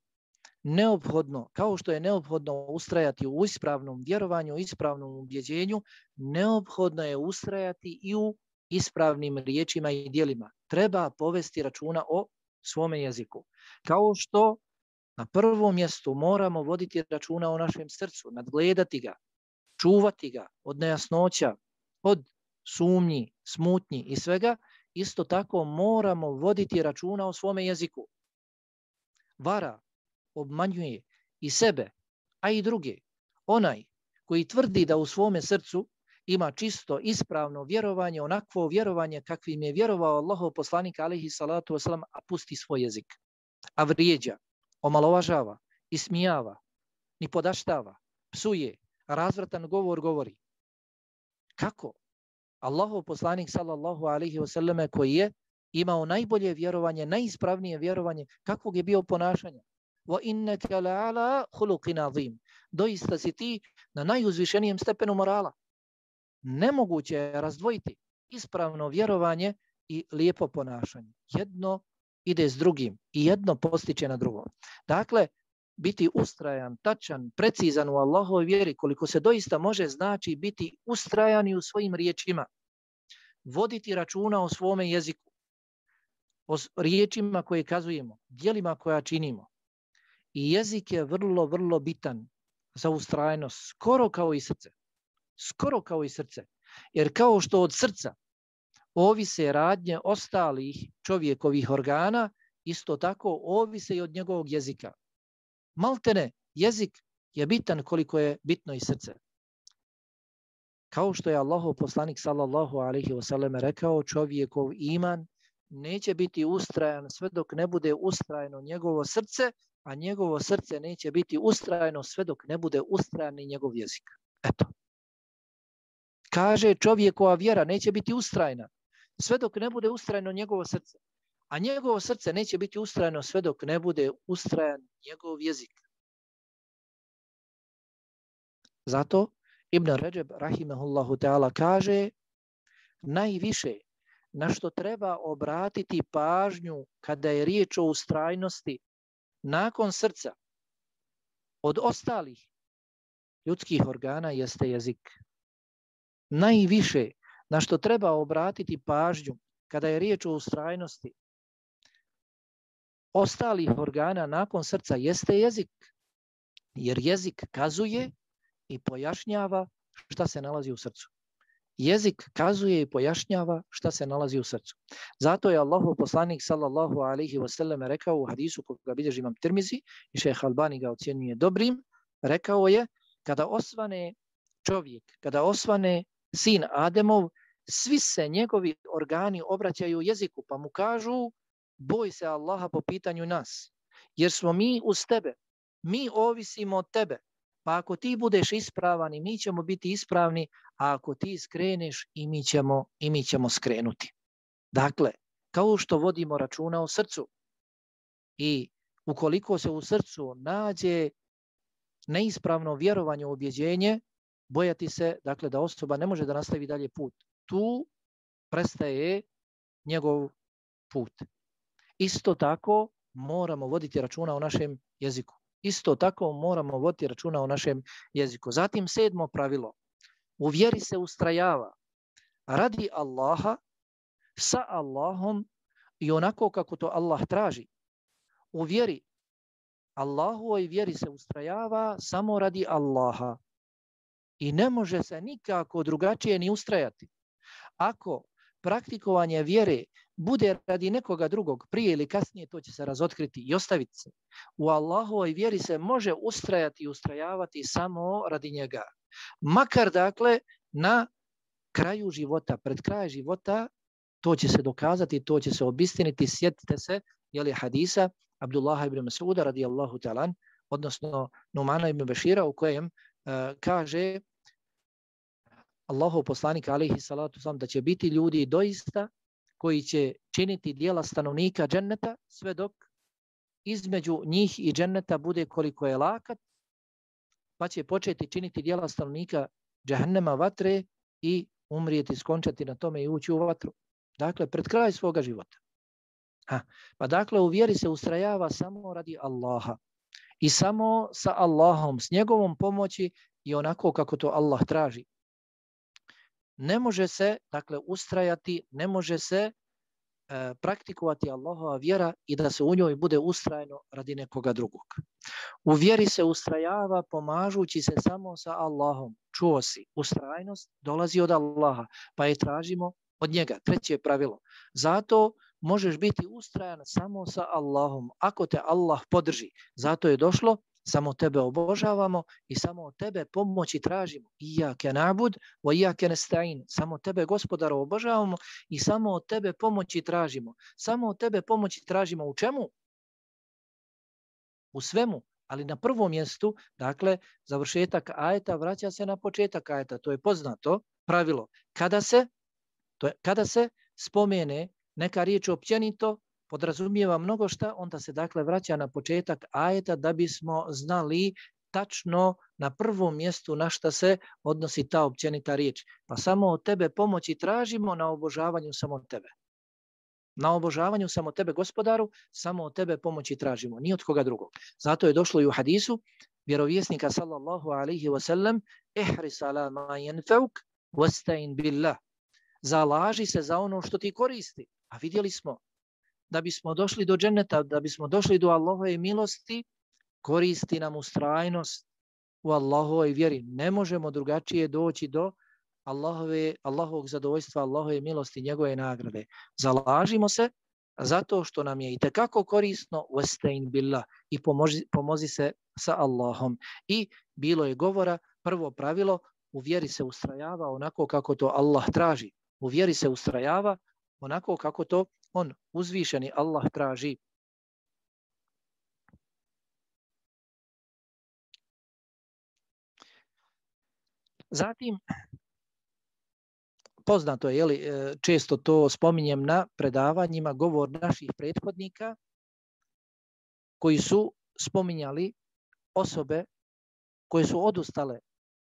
neophodno, kao što je neophodno ustrajati u ispravnom vjerovanju, u ispravnom ubjeđenju, neophodno je ustrajati i u ispravnim riječima i djelima. Treba povesti računa o svome jeziku. Kao što na prvom mjestu moramo voditi računa o našem srcu, nadgledati ga, čuvati ga od nejasnoća, od sumnji, smutnji i svega, isto tako moramo voditi računa o svome jeziku. Vara, obmanjuje i sebe, a i druge. Onaj koji tvrdi da u svome srcu ima čisto, ispravno vjerovanje, onakvo vjerovanje kakvim je vjerovao Allahov poslanik alejhi salatu vesselam, a pusti svoj jezik, a vrijeđa, omalovažava, ismijava, nipodaštava, psuje, razvratan govor govori. Kako? Allahov poslanik sallallahu alejhi ve selleme koji je imao najbolje vjerovanje, najispravnije vjerovanje, kakvog je bio ponašanja? Wa innaka la'ala khuluqin azim. Doista si ti na najuzvišenijem stepenu morala. Nemoguće je razdvojiti ispravno vjerovanje i lijepo ponašanje. Jedno ide s drugim i jedno postiče na drugo. Dakle, biti ustrajan, tačan, precizan u Allahovoj vjeri, koliko se doista može, znači biti ustrajan i u svojim riječima. Voditi računa o svome jeziku, o riječima koje kazujemo, djelima koja činimo. I jezik je vrlo, vrlo bitan za ustrajnost, skoro kao i srce. Skoro kao i srce. Jer kao što od srca ovise radnje ostalih čovjekovih organa, isto tako ovise i od njegovog jezika. Maltene, jezik je bitan koliko je bitno i srce. Kao što je Allahov poslanik sallallahu alejhi ve sellem rekao, čovjekov iman neće biti ustrajan sve dok ne bude ustrajeno njegovo srce, a njegovo srce neće biti ustrajeno sve dok ne bude ustrajan ni njegov jezik. Eto. Kaže, čovjekova vjera neće biti ustrajna sve dok ne bude ustrajeno njegovo srce, a njegovo srce neće biti ustrajeno sve dok ne bude ustrajan njegov jezik. Zato Ibn Ređeb rahimehullahu ta'ala kaže, najviše na što treba obratiti pažnju kada je riječ o ustrajnosti nakon srca od ostalih ljudskih organa jeste jezik. Najviše na što treba obratiti pažnju kada je riječ o ustrajnosti ostalih organa nakon srca jeste jezik. Jer jezik kazuje i pojašnjava šta se nalazi u srcu. Jezik kazuje i pojašnjava šta se nalazi u srcu. Zato je Allahov poslanik sallallahu alejhi ve sellem rekao u hadisu koga bilježi Imam Tirmizi i šejh Albani ga ocjenjuje dobrim, rekao je, kada osvane čovjek, kada osvane sin Ademov, svi se njegovi organi obraćaju jeziku, pa mu kažu boj se Allaha po pitanju nas, jer smo mi uz tebe, mi ovisimo od tebe, pa ako ti budeš ispravan i mi ćemo biti ispravni, a ako ti skreneš i mi ćemo, i mi ćemo skrenuti. Dakle, kao što vodimo računa o srcu i ukoliko se u srcu nađe neispravno vjerovanje u ubjeđenje, bojati se, dakle, da osoba ne može da nastavi dalje put. Tu prestaje njegov put. Isto tako moramo voditi računa o našem jeziku. Isto tako moramo voditi računa o našem jeziku. Zatim sedmo pravilo. U vjeri se ustrajava radi Allaha, sa Allahom i onako kako to Allah traži. U vjeri, Allahovoj vjeri se ustrajava samo radi Allaha i ne može se nikako drugačije ni ustrajati. Ako praktikovanje vjere bude radi nekoga drugog, prije ili kasnije to će se razotkriti i ostaviti se. U Allahovoj vjeri se može ustrajati i ustrajavati samo radi njega. Makar dakle na kraju života, pred kraj života, to će se dokazati, to će se obistiniti. Sjetite se, jeli hadisa Abdullaha ibn Mas'uda radijallahu ta'ala, odnosno Numana ibn Bešira, u kojem uh, kaže Allahov poslanik alejhi salatu selam da će biti ljudi doista koji će činiti djela stanovnika dženneta sve dok između njih i dženneta bude koliko je lakat, pa će početi činiti djela stanovnika džehennema, vatre, i umrijeti, skončati na tome i ući u vatru. Dakle, pred kraj svoga života. Ha. Pa dakle, u vjeri se ustrajava samo radi Allaha i samo sa Allahom, s njegovom pomoći i onako kako to Allah traži. Ne može se, dakle, ustrajati, ne može se e, praktikovati Allahova vjera i da se u njoj bude ustrajno radi nekoga drugog. U vjeri se ustrajava pomažući se samo sa Allahom. Čuo si, ustrajnost dolazi od Allaha, pa je tražimo od njega. Treće pravilo. Zato možeš biti ustrajan samo sa Allahom, ako te Allah podrži. Zato je došlo, samo tebe obožavamo i samo od tebe pomoći tražimo. Iyake na'bud wa iyake nasta'in. Samo tebe, Gospodaru, obožavamo i samo od tebe pomoći tražimo. Samo od tebe pomoći tražimo u čemu? U svemu. Ali na prvom mjestu, dakle, završetak ajeta vraća se na početak ajeta. To je poznato pravilo. Kada se, to je, kada se spomene neka riječ općenito, podrazumijeva mnogo šta, onda se dakle vraća na početak ajeta da bismo znali tačno na prvom mjestu na šta se odnosi ta općenita riječ. Pa samo od tebe pomoći tražimo na obožavanju samo tebe. Na obožavanju samo tebe, Gospodaru, samo od tebe pomoći tražimo, ni od koga drugog. Zato je došlo i u hadisu vjerovjesnika sallallahu alaihi wa sallam: ihris ala ma yanfa'uk wasta'in billah. Zalaži se za ono što ti koristi. A vidjeli smo, da bismo došli do dženneta, da bismo došli do Allahove milosti, koristi nam ustrajnost u Allahovoj vjeri. Ne možemo drugačije doći do Allahove, Allahovog zadovoljstva, Allahove milosti, njegove nagrade. Zalažimo se zato što nam je itekako korisno, wasta'in billah, i pomozi, pomozi se sa Allahom. I bilo je govora, prvo pravilo, u vjeri se ustrajava onako kako to Allah traži. U vjeri se ustrajava onako kako to on, uzvišeni Allah, traži. Zatim, poznato je, jeli, često to spominjem na predavanjima, govor naših prethodnika koji su spominjali osobe koje su odustale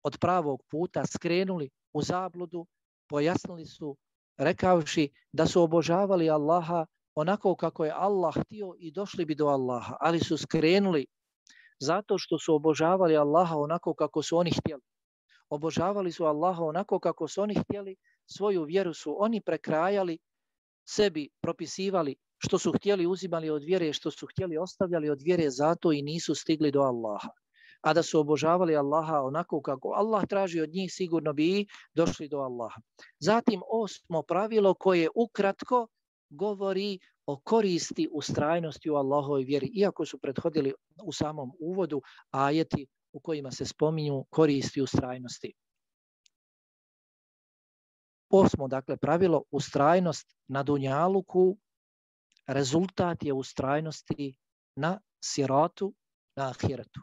od pravog puta, skrenuli u zabludu, pojasnili su rekavši da su obožavali Allaha onako kako je Allah htio i došli bi do Allaha, ali su skrenuli zato što su obožavali Allaha onako kako su oni htjeli. Obožavali su Allaha onako kako su oni htjeli, svoju vjeru su oni prekrajali, sebi propisivali što su htjeli, uzimali od vjere, što su htjeli, ostavljali od vjere, zato i nisu stigli do Allaha. A da su obožavali Allaha onako kako Allah traži od njih, sigurno bi i došli do Allaha. Zatim osmo pravilo koje ukratko govori o koristi ustrajnosti u Allahovoj vjeri, iako su prethodili u samom uvodu ajeti u kojima se spominju koristi ustrajnosti. Osmo, dakle, pravilo, ustrajnost na dunjaluku, rezultat je ustrajnosti na siratu, na ahiretu.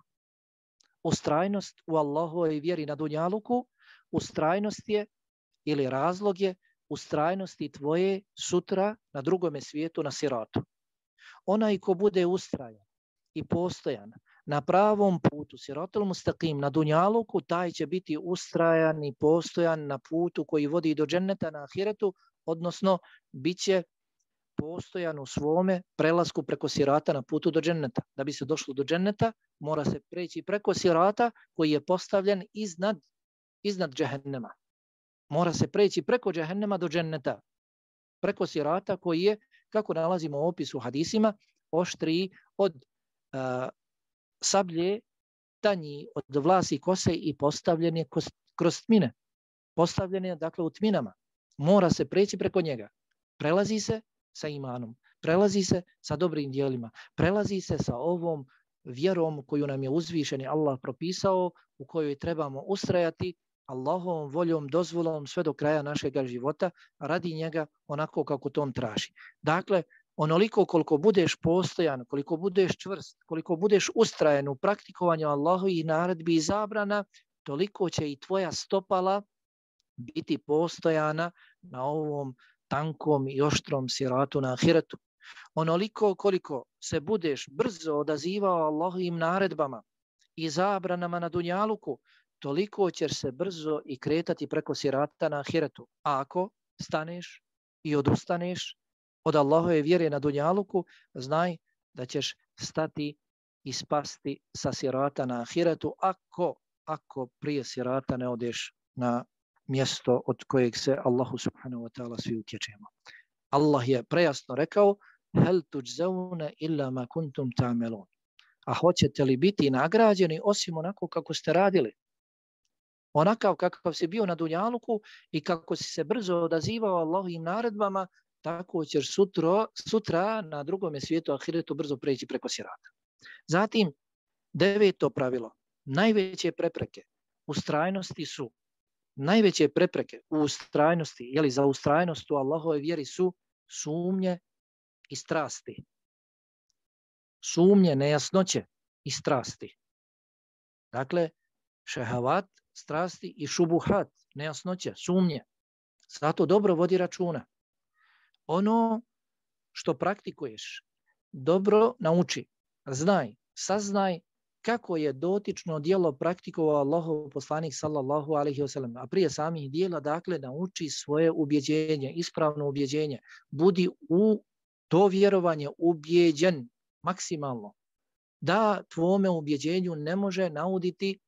Ustrajnost u Allahovoj vjeri na dunjaluku, ustrajnost je ili razlog je ustrajnosti tvoje sutra na drugome svijetu na siratu. Onaj ko bude ustrajan i postojan na pravom putu, siratul mustaqim, na dunjaluku, taj će biti ustrajan i postojan na putu koji vodi do dženneta na ahiretu, odnosno bit će postojan u svome prelasku preko sirata na putu do dženneta. Da bi se došlo do dženneta, mora se preći preko sirata koji je postavljen iznad, iznad džehennema. Mora se preći preko džehennema do dženneta. Preko sirata koji je, kako nalazimo u opisu hadisima, oštriji od uh, sablje, tanji od vlasi kose i postavljen je kroz tmine. Postavljen je, dakle, u tminama. Mora se preći preko njega. Prelazi se sa imanom, prelazi se sa dobrim djelima, prelazi se sa ovom vjerom koju nam je uzvišeni Allah propisao, u kojoj trebamo ustrajati Allahovom voljom, dozvolom sve do kraja našeg života, radi njega onako kako to on traži. Dakle, onoliko koliko budeš postojan, koliko budeš čvrst, koliko budeš ustrajan u praktikovanju Allahovih naredbi i zabrana, toliko će i tvoja stopala biti postojana na ovom tankom i oštrom siratu na ahiretu. Onoliko koliko se budeš brzo odazivao Allahovim naredbama i zabranama na dunjaluku, toliko ćeš se brzo i kretati preko sirata na ahiretu. A ako staneš i odustaneš od Allahove vjere na dunjaluku, znaj da ćeš stati i spasti sa sirata na ahiretu, ako, ako prije sirata ne odeš na mjesto od kojeg se Allahu subhanahu wa ta'ala svi utječemo. Allah je prejasno rekao: hel tuđzauna illa ma kuntum ta'melun. A hoćete li biti nagrađeni osim onako kako ste radili? Onakav kakav si bio na dunjaluku i kako si se brzo odazivao Allahovim naredbama, tako ćeš sutra, sutra na drugome svijetu ahiretu brzo preći preko sirata. Zatim, deveto pravilo. Najveće prepreke ustrajnosti su Najveće prepreke u ustrajnosti, jeli za ustrajnost u Allahove vjeri su sumnje i strasti. Sumnje, nejasnoće i strasti. Dakle, šehavat, strasti i šubuhat, nejasnoće, sumnje. Zato dobro vodi računa. Ono što praktikuješ, dobro nauči, znaj, saznaj kako je dotično djelo praktikovao Allahov poslanik sallallahu alejhi ve sellem, a prije samih djela, dakle, nauči svoje ubjeđenje, ispravno ubjeđenje. Budi u to vjerovanje ubjeđen maksimalno, da tvome ubjeđenju ne može nauditi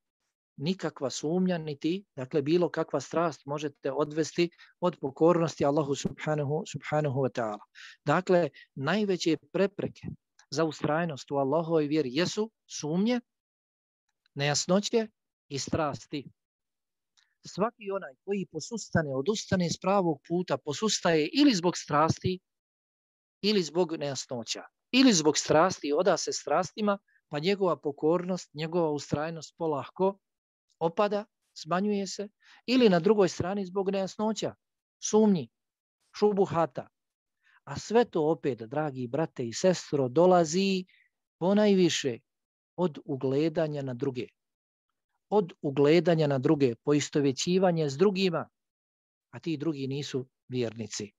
nikakva sumnja, niti, dakle, bilo kakva strast možete odvesti od pokornosti Allahu subhanahu, subhanahu wa ta'ala. Dakle, najveće prepreke za ustrajnost u Allahovoj vjeri jesu sumnje, nejasnoće i strasti. Svaki onaj koji posustane, odustane s pravog puta, posustaje ili zbog strasti, ili zbog nejasnoća, ili zbog strasti, oda se strastima, pa njegova pokornost, njegova ustrajnost polahko opada, smanjuje se, ili na drugoj strani zbog nejasnoća, sumnji, šubuhata. A sve to opet, dragi brate i sestro, dolazi ponajviše od ugledanja na druge. Od ugledanja na druge, poistovjećivanje s drugima, a ti drugi nisu vjernici.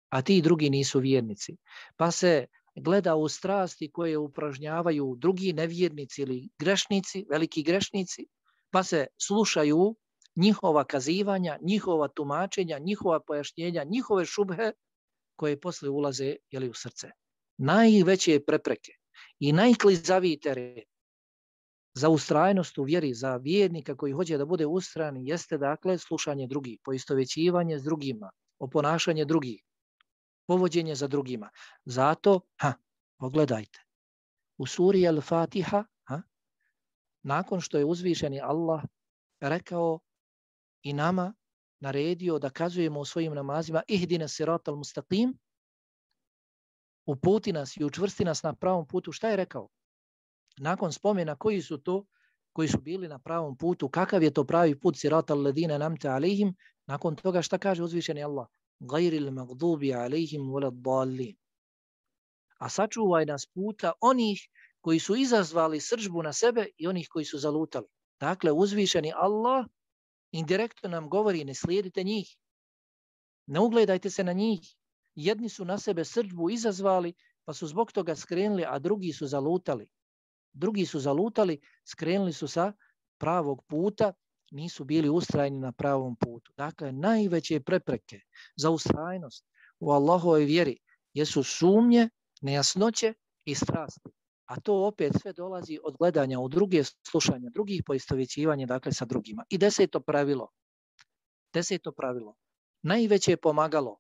A ti drugi nisu vjernici. Pa se gleda u strasti koje upražnjavaju drugi nevjernici ili grešnici, veliki grešnici, pa se slušaju njihova kazivanja, njihova tumačenja, njihova pojašnjenja, njihove šubhe, koje posle ulaze, jeli, u srce. Najveće prepreke i najklizaviji teren za ustrajnost u vjeri, za vjernika koji hoće da bude ustrajan, jeste, dakle, slušanje drugih, poistovjećivanje s drugima, oponašanje drugih, povođenje za drugima. Zato, ha, pogledajte, u suri Al-Fatiha, ha, nakon što je uzvišeni Allah rekao i nama naredio da kazujemo u svojim namazima ihdina siratal mustaqim, uputi nas i učvrsti nas na pravom putu, šta je rekao? Nakon spomena koji su to koji su bili na pravom putu. Kakav je to pravi put? Siratal ladina namte alejhim. Nakon toga šta kaže uzvišeni Allah? Gajril magdubi alejhim waladdallin. A sačuvaj nas puta onih koji su izazvali srdžbu na sebe i onih koji su zalutali. Dakle, uzvišeni Allah indirektno nam govori, ne slijedite njih. Ne ugledajte se na njih. Jedni su na sebe srdžbu izazvali, pa su zbog toga skrenuli, a drugi su zalutali. Drugi su zalutali, skrenuli su sa pravog puta, nisu bili ustrajni na pravom putu. Dakle, najveće prepreke za ustrajnost u Allahovoj vjeri jesu sumnje, nejasnoće i strasti. A to opet sve dolazi od gledanja u druge, slušanja drugih, poistovjećivanja dakle sa drugima. I deseto pravilo. Deseto pravilo. Najveće pomagalo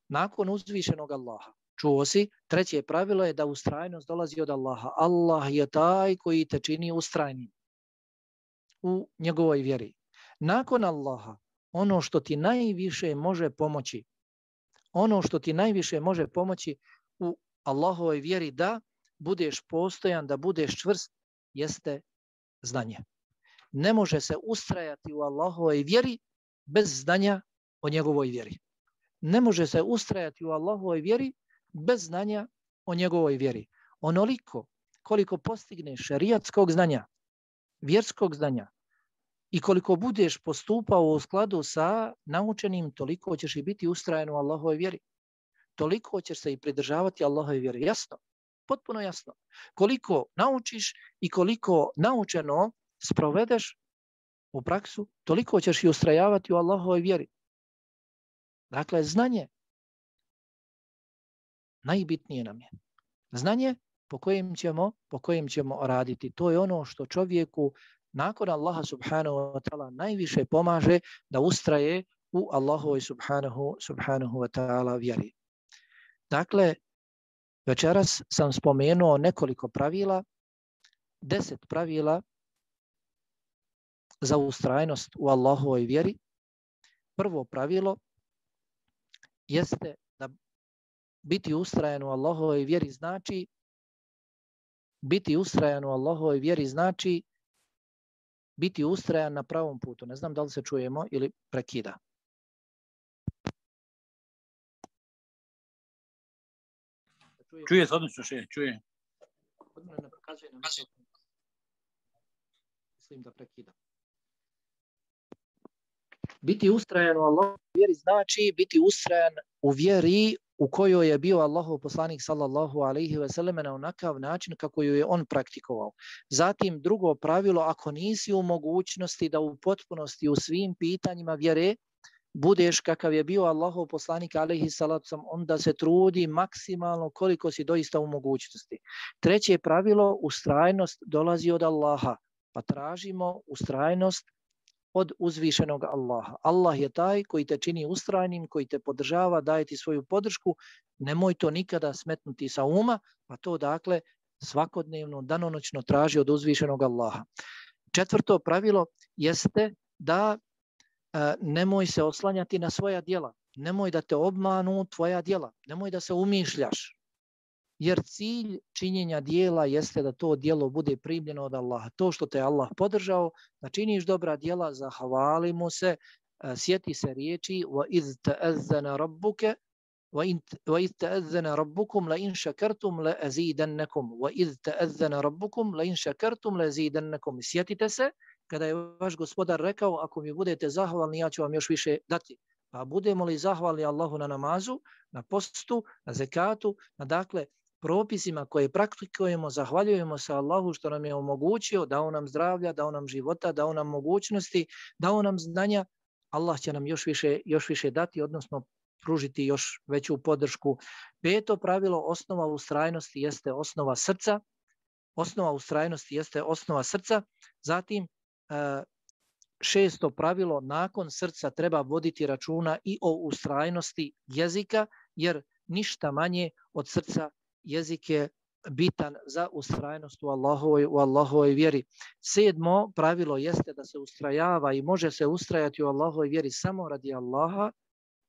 nakon uzvišenog Allaha. Čuo si, treće pravilo je da ustrajnost dolazi od Allaha. Allah je taj koji te čini ustrajnim u njegovoj vjeri. Nakon Allaha, ono što ti najviše može pomoći, ono što ti najviše može pomoći u Allahovoj vjeri da budeš postojan, da budeš čvrst, jeste znanje. Ne može se ustrajati u Allahovoj vjeri bez znanja o njegovoj vjeri. Ne može se ustrajati u Allahovoj vjeri bez znanja o njegovoj vjeri. Onoliko koliko postigneš šerijatskog znanja, vjerskog znanja i koliko budeš postupao u skladu sa naučenim, toliko ćeš i biti ustrajan u Allahovoj vjeri. Toliko ćeš se i pridržavati Allahove vjere. Jasno, potpuno jasno. Koliko naučiš i koliko naučeno sprovedeš u praksu, toliko ćeš i ustrajavati u Allahovoj vjeri. Dakle, znanje najbitnije nam je. Znanje po kojem ćemo, po kojem ćemo raditi. To je ono što čovjeku nakon Allaha subhanahu wa ta'ala najviše pomaže da ustraje u Allahovoj subhanahu, subhanahu wa ta'ala vjeri. Dakle, večeras sam spomenuo nekoliko pravila, deset pravila za ustrajnost u Allahovoj vjeri. Prvo pravilo jeste da biti ustrajan u Allahovoj vjeri znači biti ustrajan u Allahovoj vjeri znači biti ustrajan na pravom putu. Ne znam da li se čujemo ili prekida. Čuje se odlično, še, čuje. Kod mene ne pokazuje na mikrofon. Mislim da prekida. Biti ustrajan u Allahovoj vjeri znači biti ustrajan u vjeri u kojoj je bio Allahov poslanik sallallahu alejhi ve selleme na onakav način kako ju je on praktikovao. Zatim drugo pravilo, ako nisi u mogućnosti da u potpunosti u svim pitanjima vjere budeš kakav je bio Allahov poslanik alejhi salatu vesselam, onda se trudi maksimalno koliko si doista u mogućnosti. Treće pravilo, ustrajnost dolazi od Allaha, pa tražimo ustrajnost od uzvišenog Allaha. Allah je taj koji te čini ustrajnim, koji te podržava, daje ti svoju podršku. Nemoj to nikada smetnuti sa uma, pa to dakle svakodnevno, danonoćno traži od uzvišenog Allaha. Četvrto pravilo jeste da e, nemoj se oslanjati na svoja djela. Nemoj da te obmanu tvoja djela. Nemoj da se umišljaš. Jer cilj činjenja dijela jeste da to dijelo bude primljeno od Allaha. To što te Allah podržao, da činiš dobra dijela, zahvali mu se, sjeti se riječi وَإِذْ تَأَذَّنَ رَبُّكَ وَإِذْ تَأَذَّنَ رَبُّكُمْ لَإِنْ شَكَرْتُمْ لَأَزِيدَنَّكُمْ وَإِذْ تَأَذَّنَ رَبُّكُمْ لَإِنْ شَكَرْتُمْ لَأَزِيدَنَّكُمْ. Sjetite se kada je vaš gospodar rekao, ako mi budete zahvalni, ja ću vam još više dati. Pa budemo li zahvalni Allahu na namazu, na postu, na zekatu, na dakle propisima koje praktikujemo, zahvaljujemo se Allahu što nam je omogućio, dao nam zdravlja, dao nam života, dao nam mogućnosti, dao nam znanja, Allah će nam još više, još više dati, odnosno pružiti još veću podršku. Peto pravilo, osnova ustrajnosti jeste osnova srca. Osnova ustrajnosti jeste osnova srca. Zatim, šesto pravilo, nakon srca treba voditi računa i o ustrajnosti jezika, jer ništa manje od srca jezik je bitan za ustrajnost u Allahovoj, u Allahovoj vjeri. Sedmo pravilo jeste da se ustrajava i može se ustrajati u Allahovoj vjeri samo radi Allaha,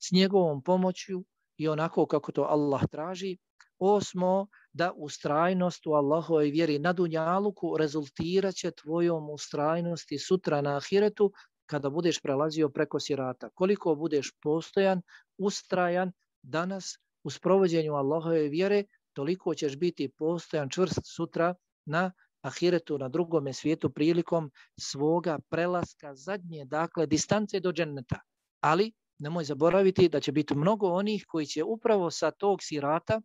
s njegovom pomoću i onako kako to Allah traži. Osmo, da ustrajnost u Allahovoj vjeri na dunjaluku rezultirat će tvojom ustrajnosti sutra na ahiretu kada budeš prelazio preko sirata. Koliko budeš postojan, ustrajan danas u sprovođenju Allahove vjere, toliko ćeš biti postojan, čvrst sutra na ahiretu, na drugome svijetu prilikom svoga prelaska zadnje, dakle, distance do dženneta. Ali nemoj zaboraviti da će biti mnogo onih koji će upravo sa tog sirata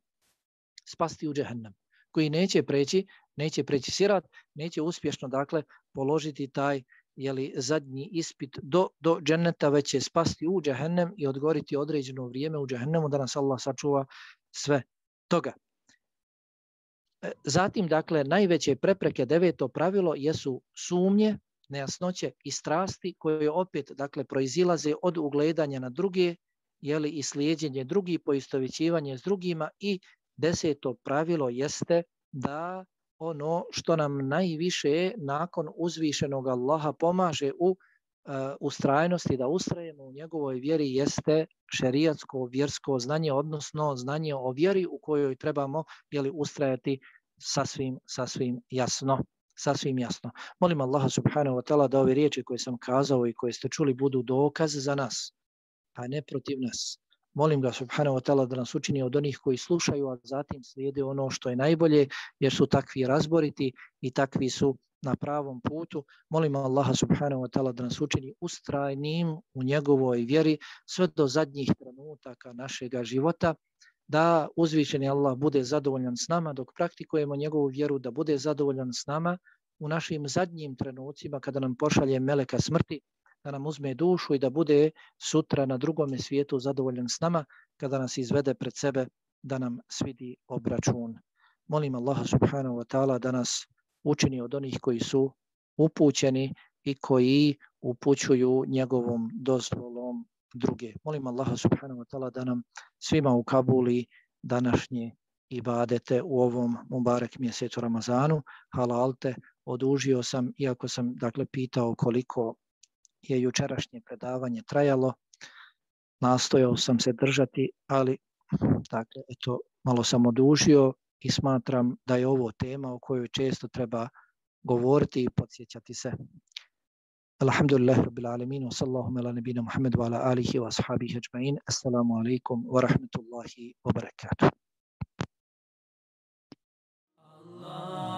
spasti u džehennem, koji neće preći, neće preći sirat, neće uspješno, dakle, položiti taj jeli, zadnji ispit do, do dženneta, već će spasti u džehennem i odgoriti određeno vrijeme u džehennemu, da nas Allah sačuva sve toga. Zatim, dakle, najveće prepreke, deveto pravilo, jesu sumnje, nejasnoće i strasti koje opet, dakle, proizilaze od ugledanja na druge, jeli, i slijedjenje drugih, poistovjećivanje s drugima. I deseto pravilo jeste da ono što nam najviše nakon uzvišenog Allaha pomaže u uh, ustrajnosti, da ustrajemo u njegovoj vjeri, jeste šerijatsko vjersko znanje, odnosno znanje o vjeri u kojoj trebamo, jeli, ustrajati sasvim, sasvim jasno. Sasvim jasno. Molim Allaha subhanahu wa ta'ala da ove riječi koje sam kazao i koje ste čuli budu dokaz za nas, a ne protiv nas. Molim ga subhanahu wa ta'ala da nas učini od onih koji slušaju, a zatim slijede ono što je najbolje, jer su takvi razboriti i takvi su na pravom putu. Molim Allaha subhanahu wa ta'ala da nas učini ustrajnim u njegovoj vjeri sve do zadnjih trenutaka našega života, da uzvišeni Allah bude zadovoljan s nama dok praktikujemo njegovu vjeru, da bude zadovoljan s nama u našim zadnjim trenucima kada nam pošalje meleka smrti, da nam uzme dušu i da bude sutra na drugome svijetu zadovoljan s nama kada nas izvede pred sebe da nam svidi obračun. Molim Allaha subhanahu wa ta'ala da nas učini od onih koji su upućeni i koji upućuju njegovom dozvolom druge. Molim Allaha subhanahu wa ta'ala da nam svima ukabuli današnje ibadete u ovom mubarek mjesecu Ramazanu. Halalte, odužio sam, iako sam, dakle, pitao koliko je jučerašnje predavanje trajalo, nastojao sam se držati, ali dakle, eto, malo sam odužio i smatram da je ovo tema o kojoj često treba govoriti i podsjećati se. Alhamdulillah rabbil alamin wa sallallahu ala nabina Muhammad wa ala alihi wa ashabihi ajma'in. Assalamu alaikum wa rahmatullahi wa barakatuh. Allah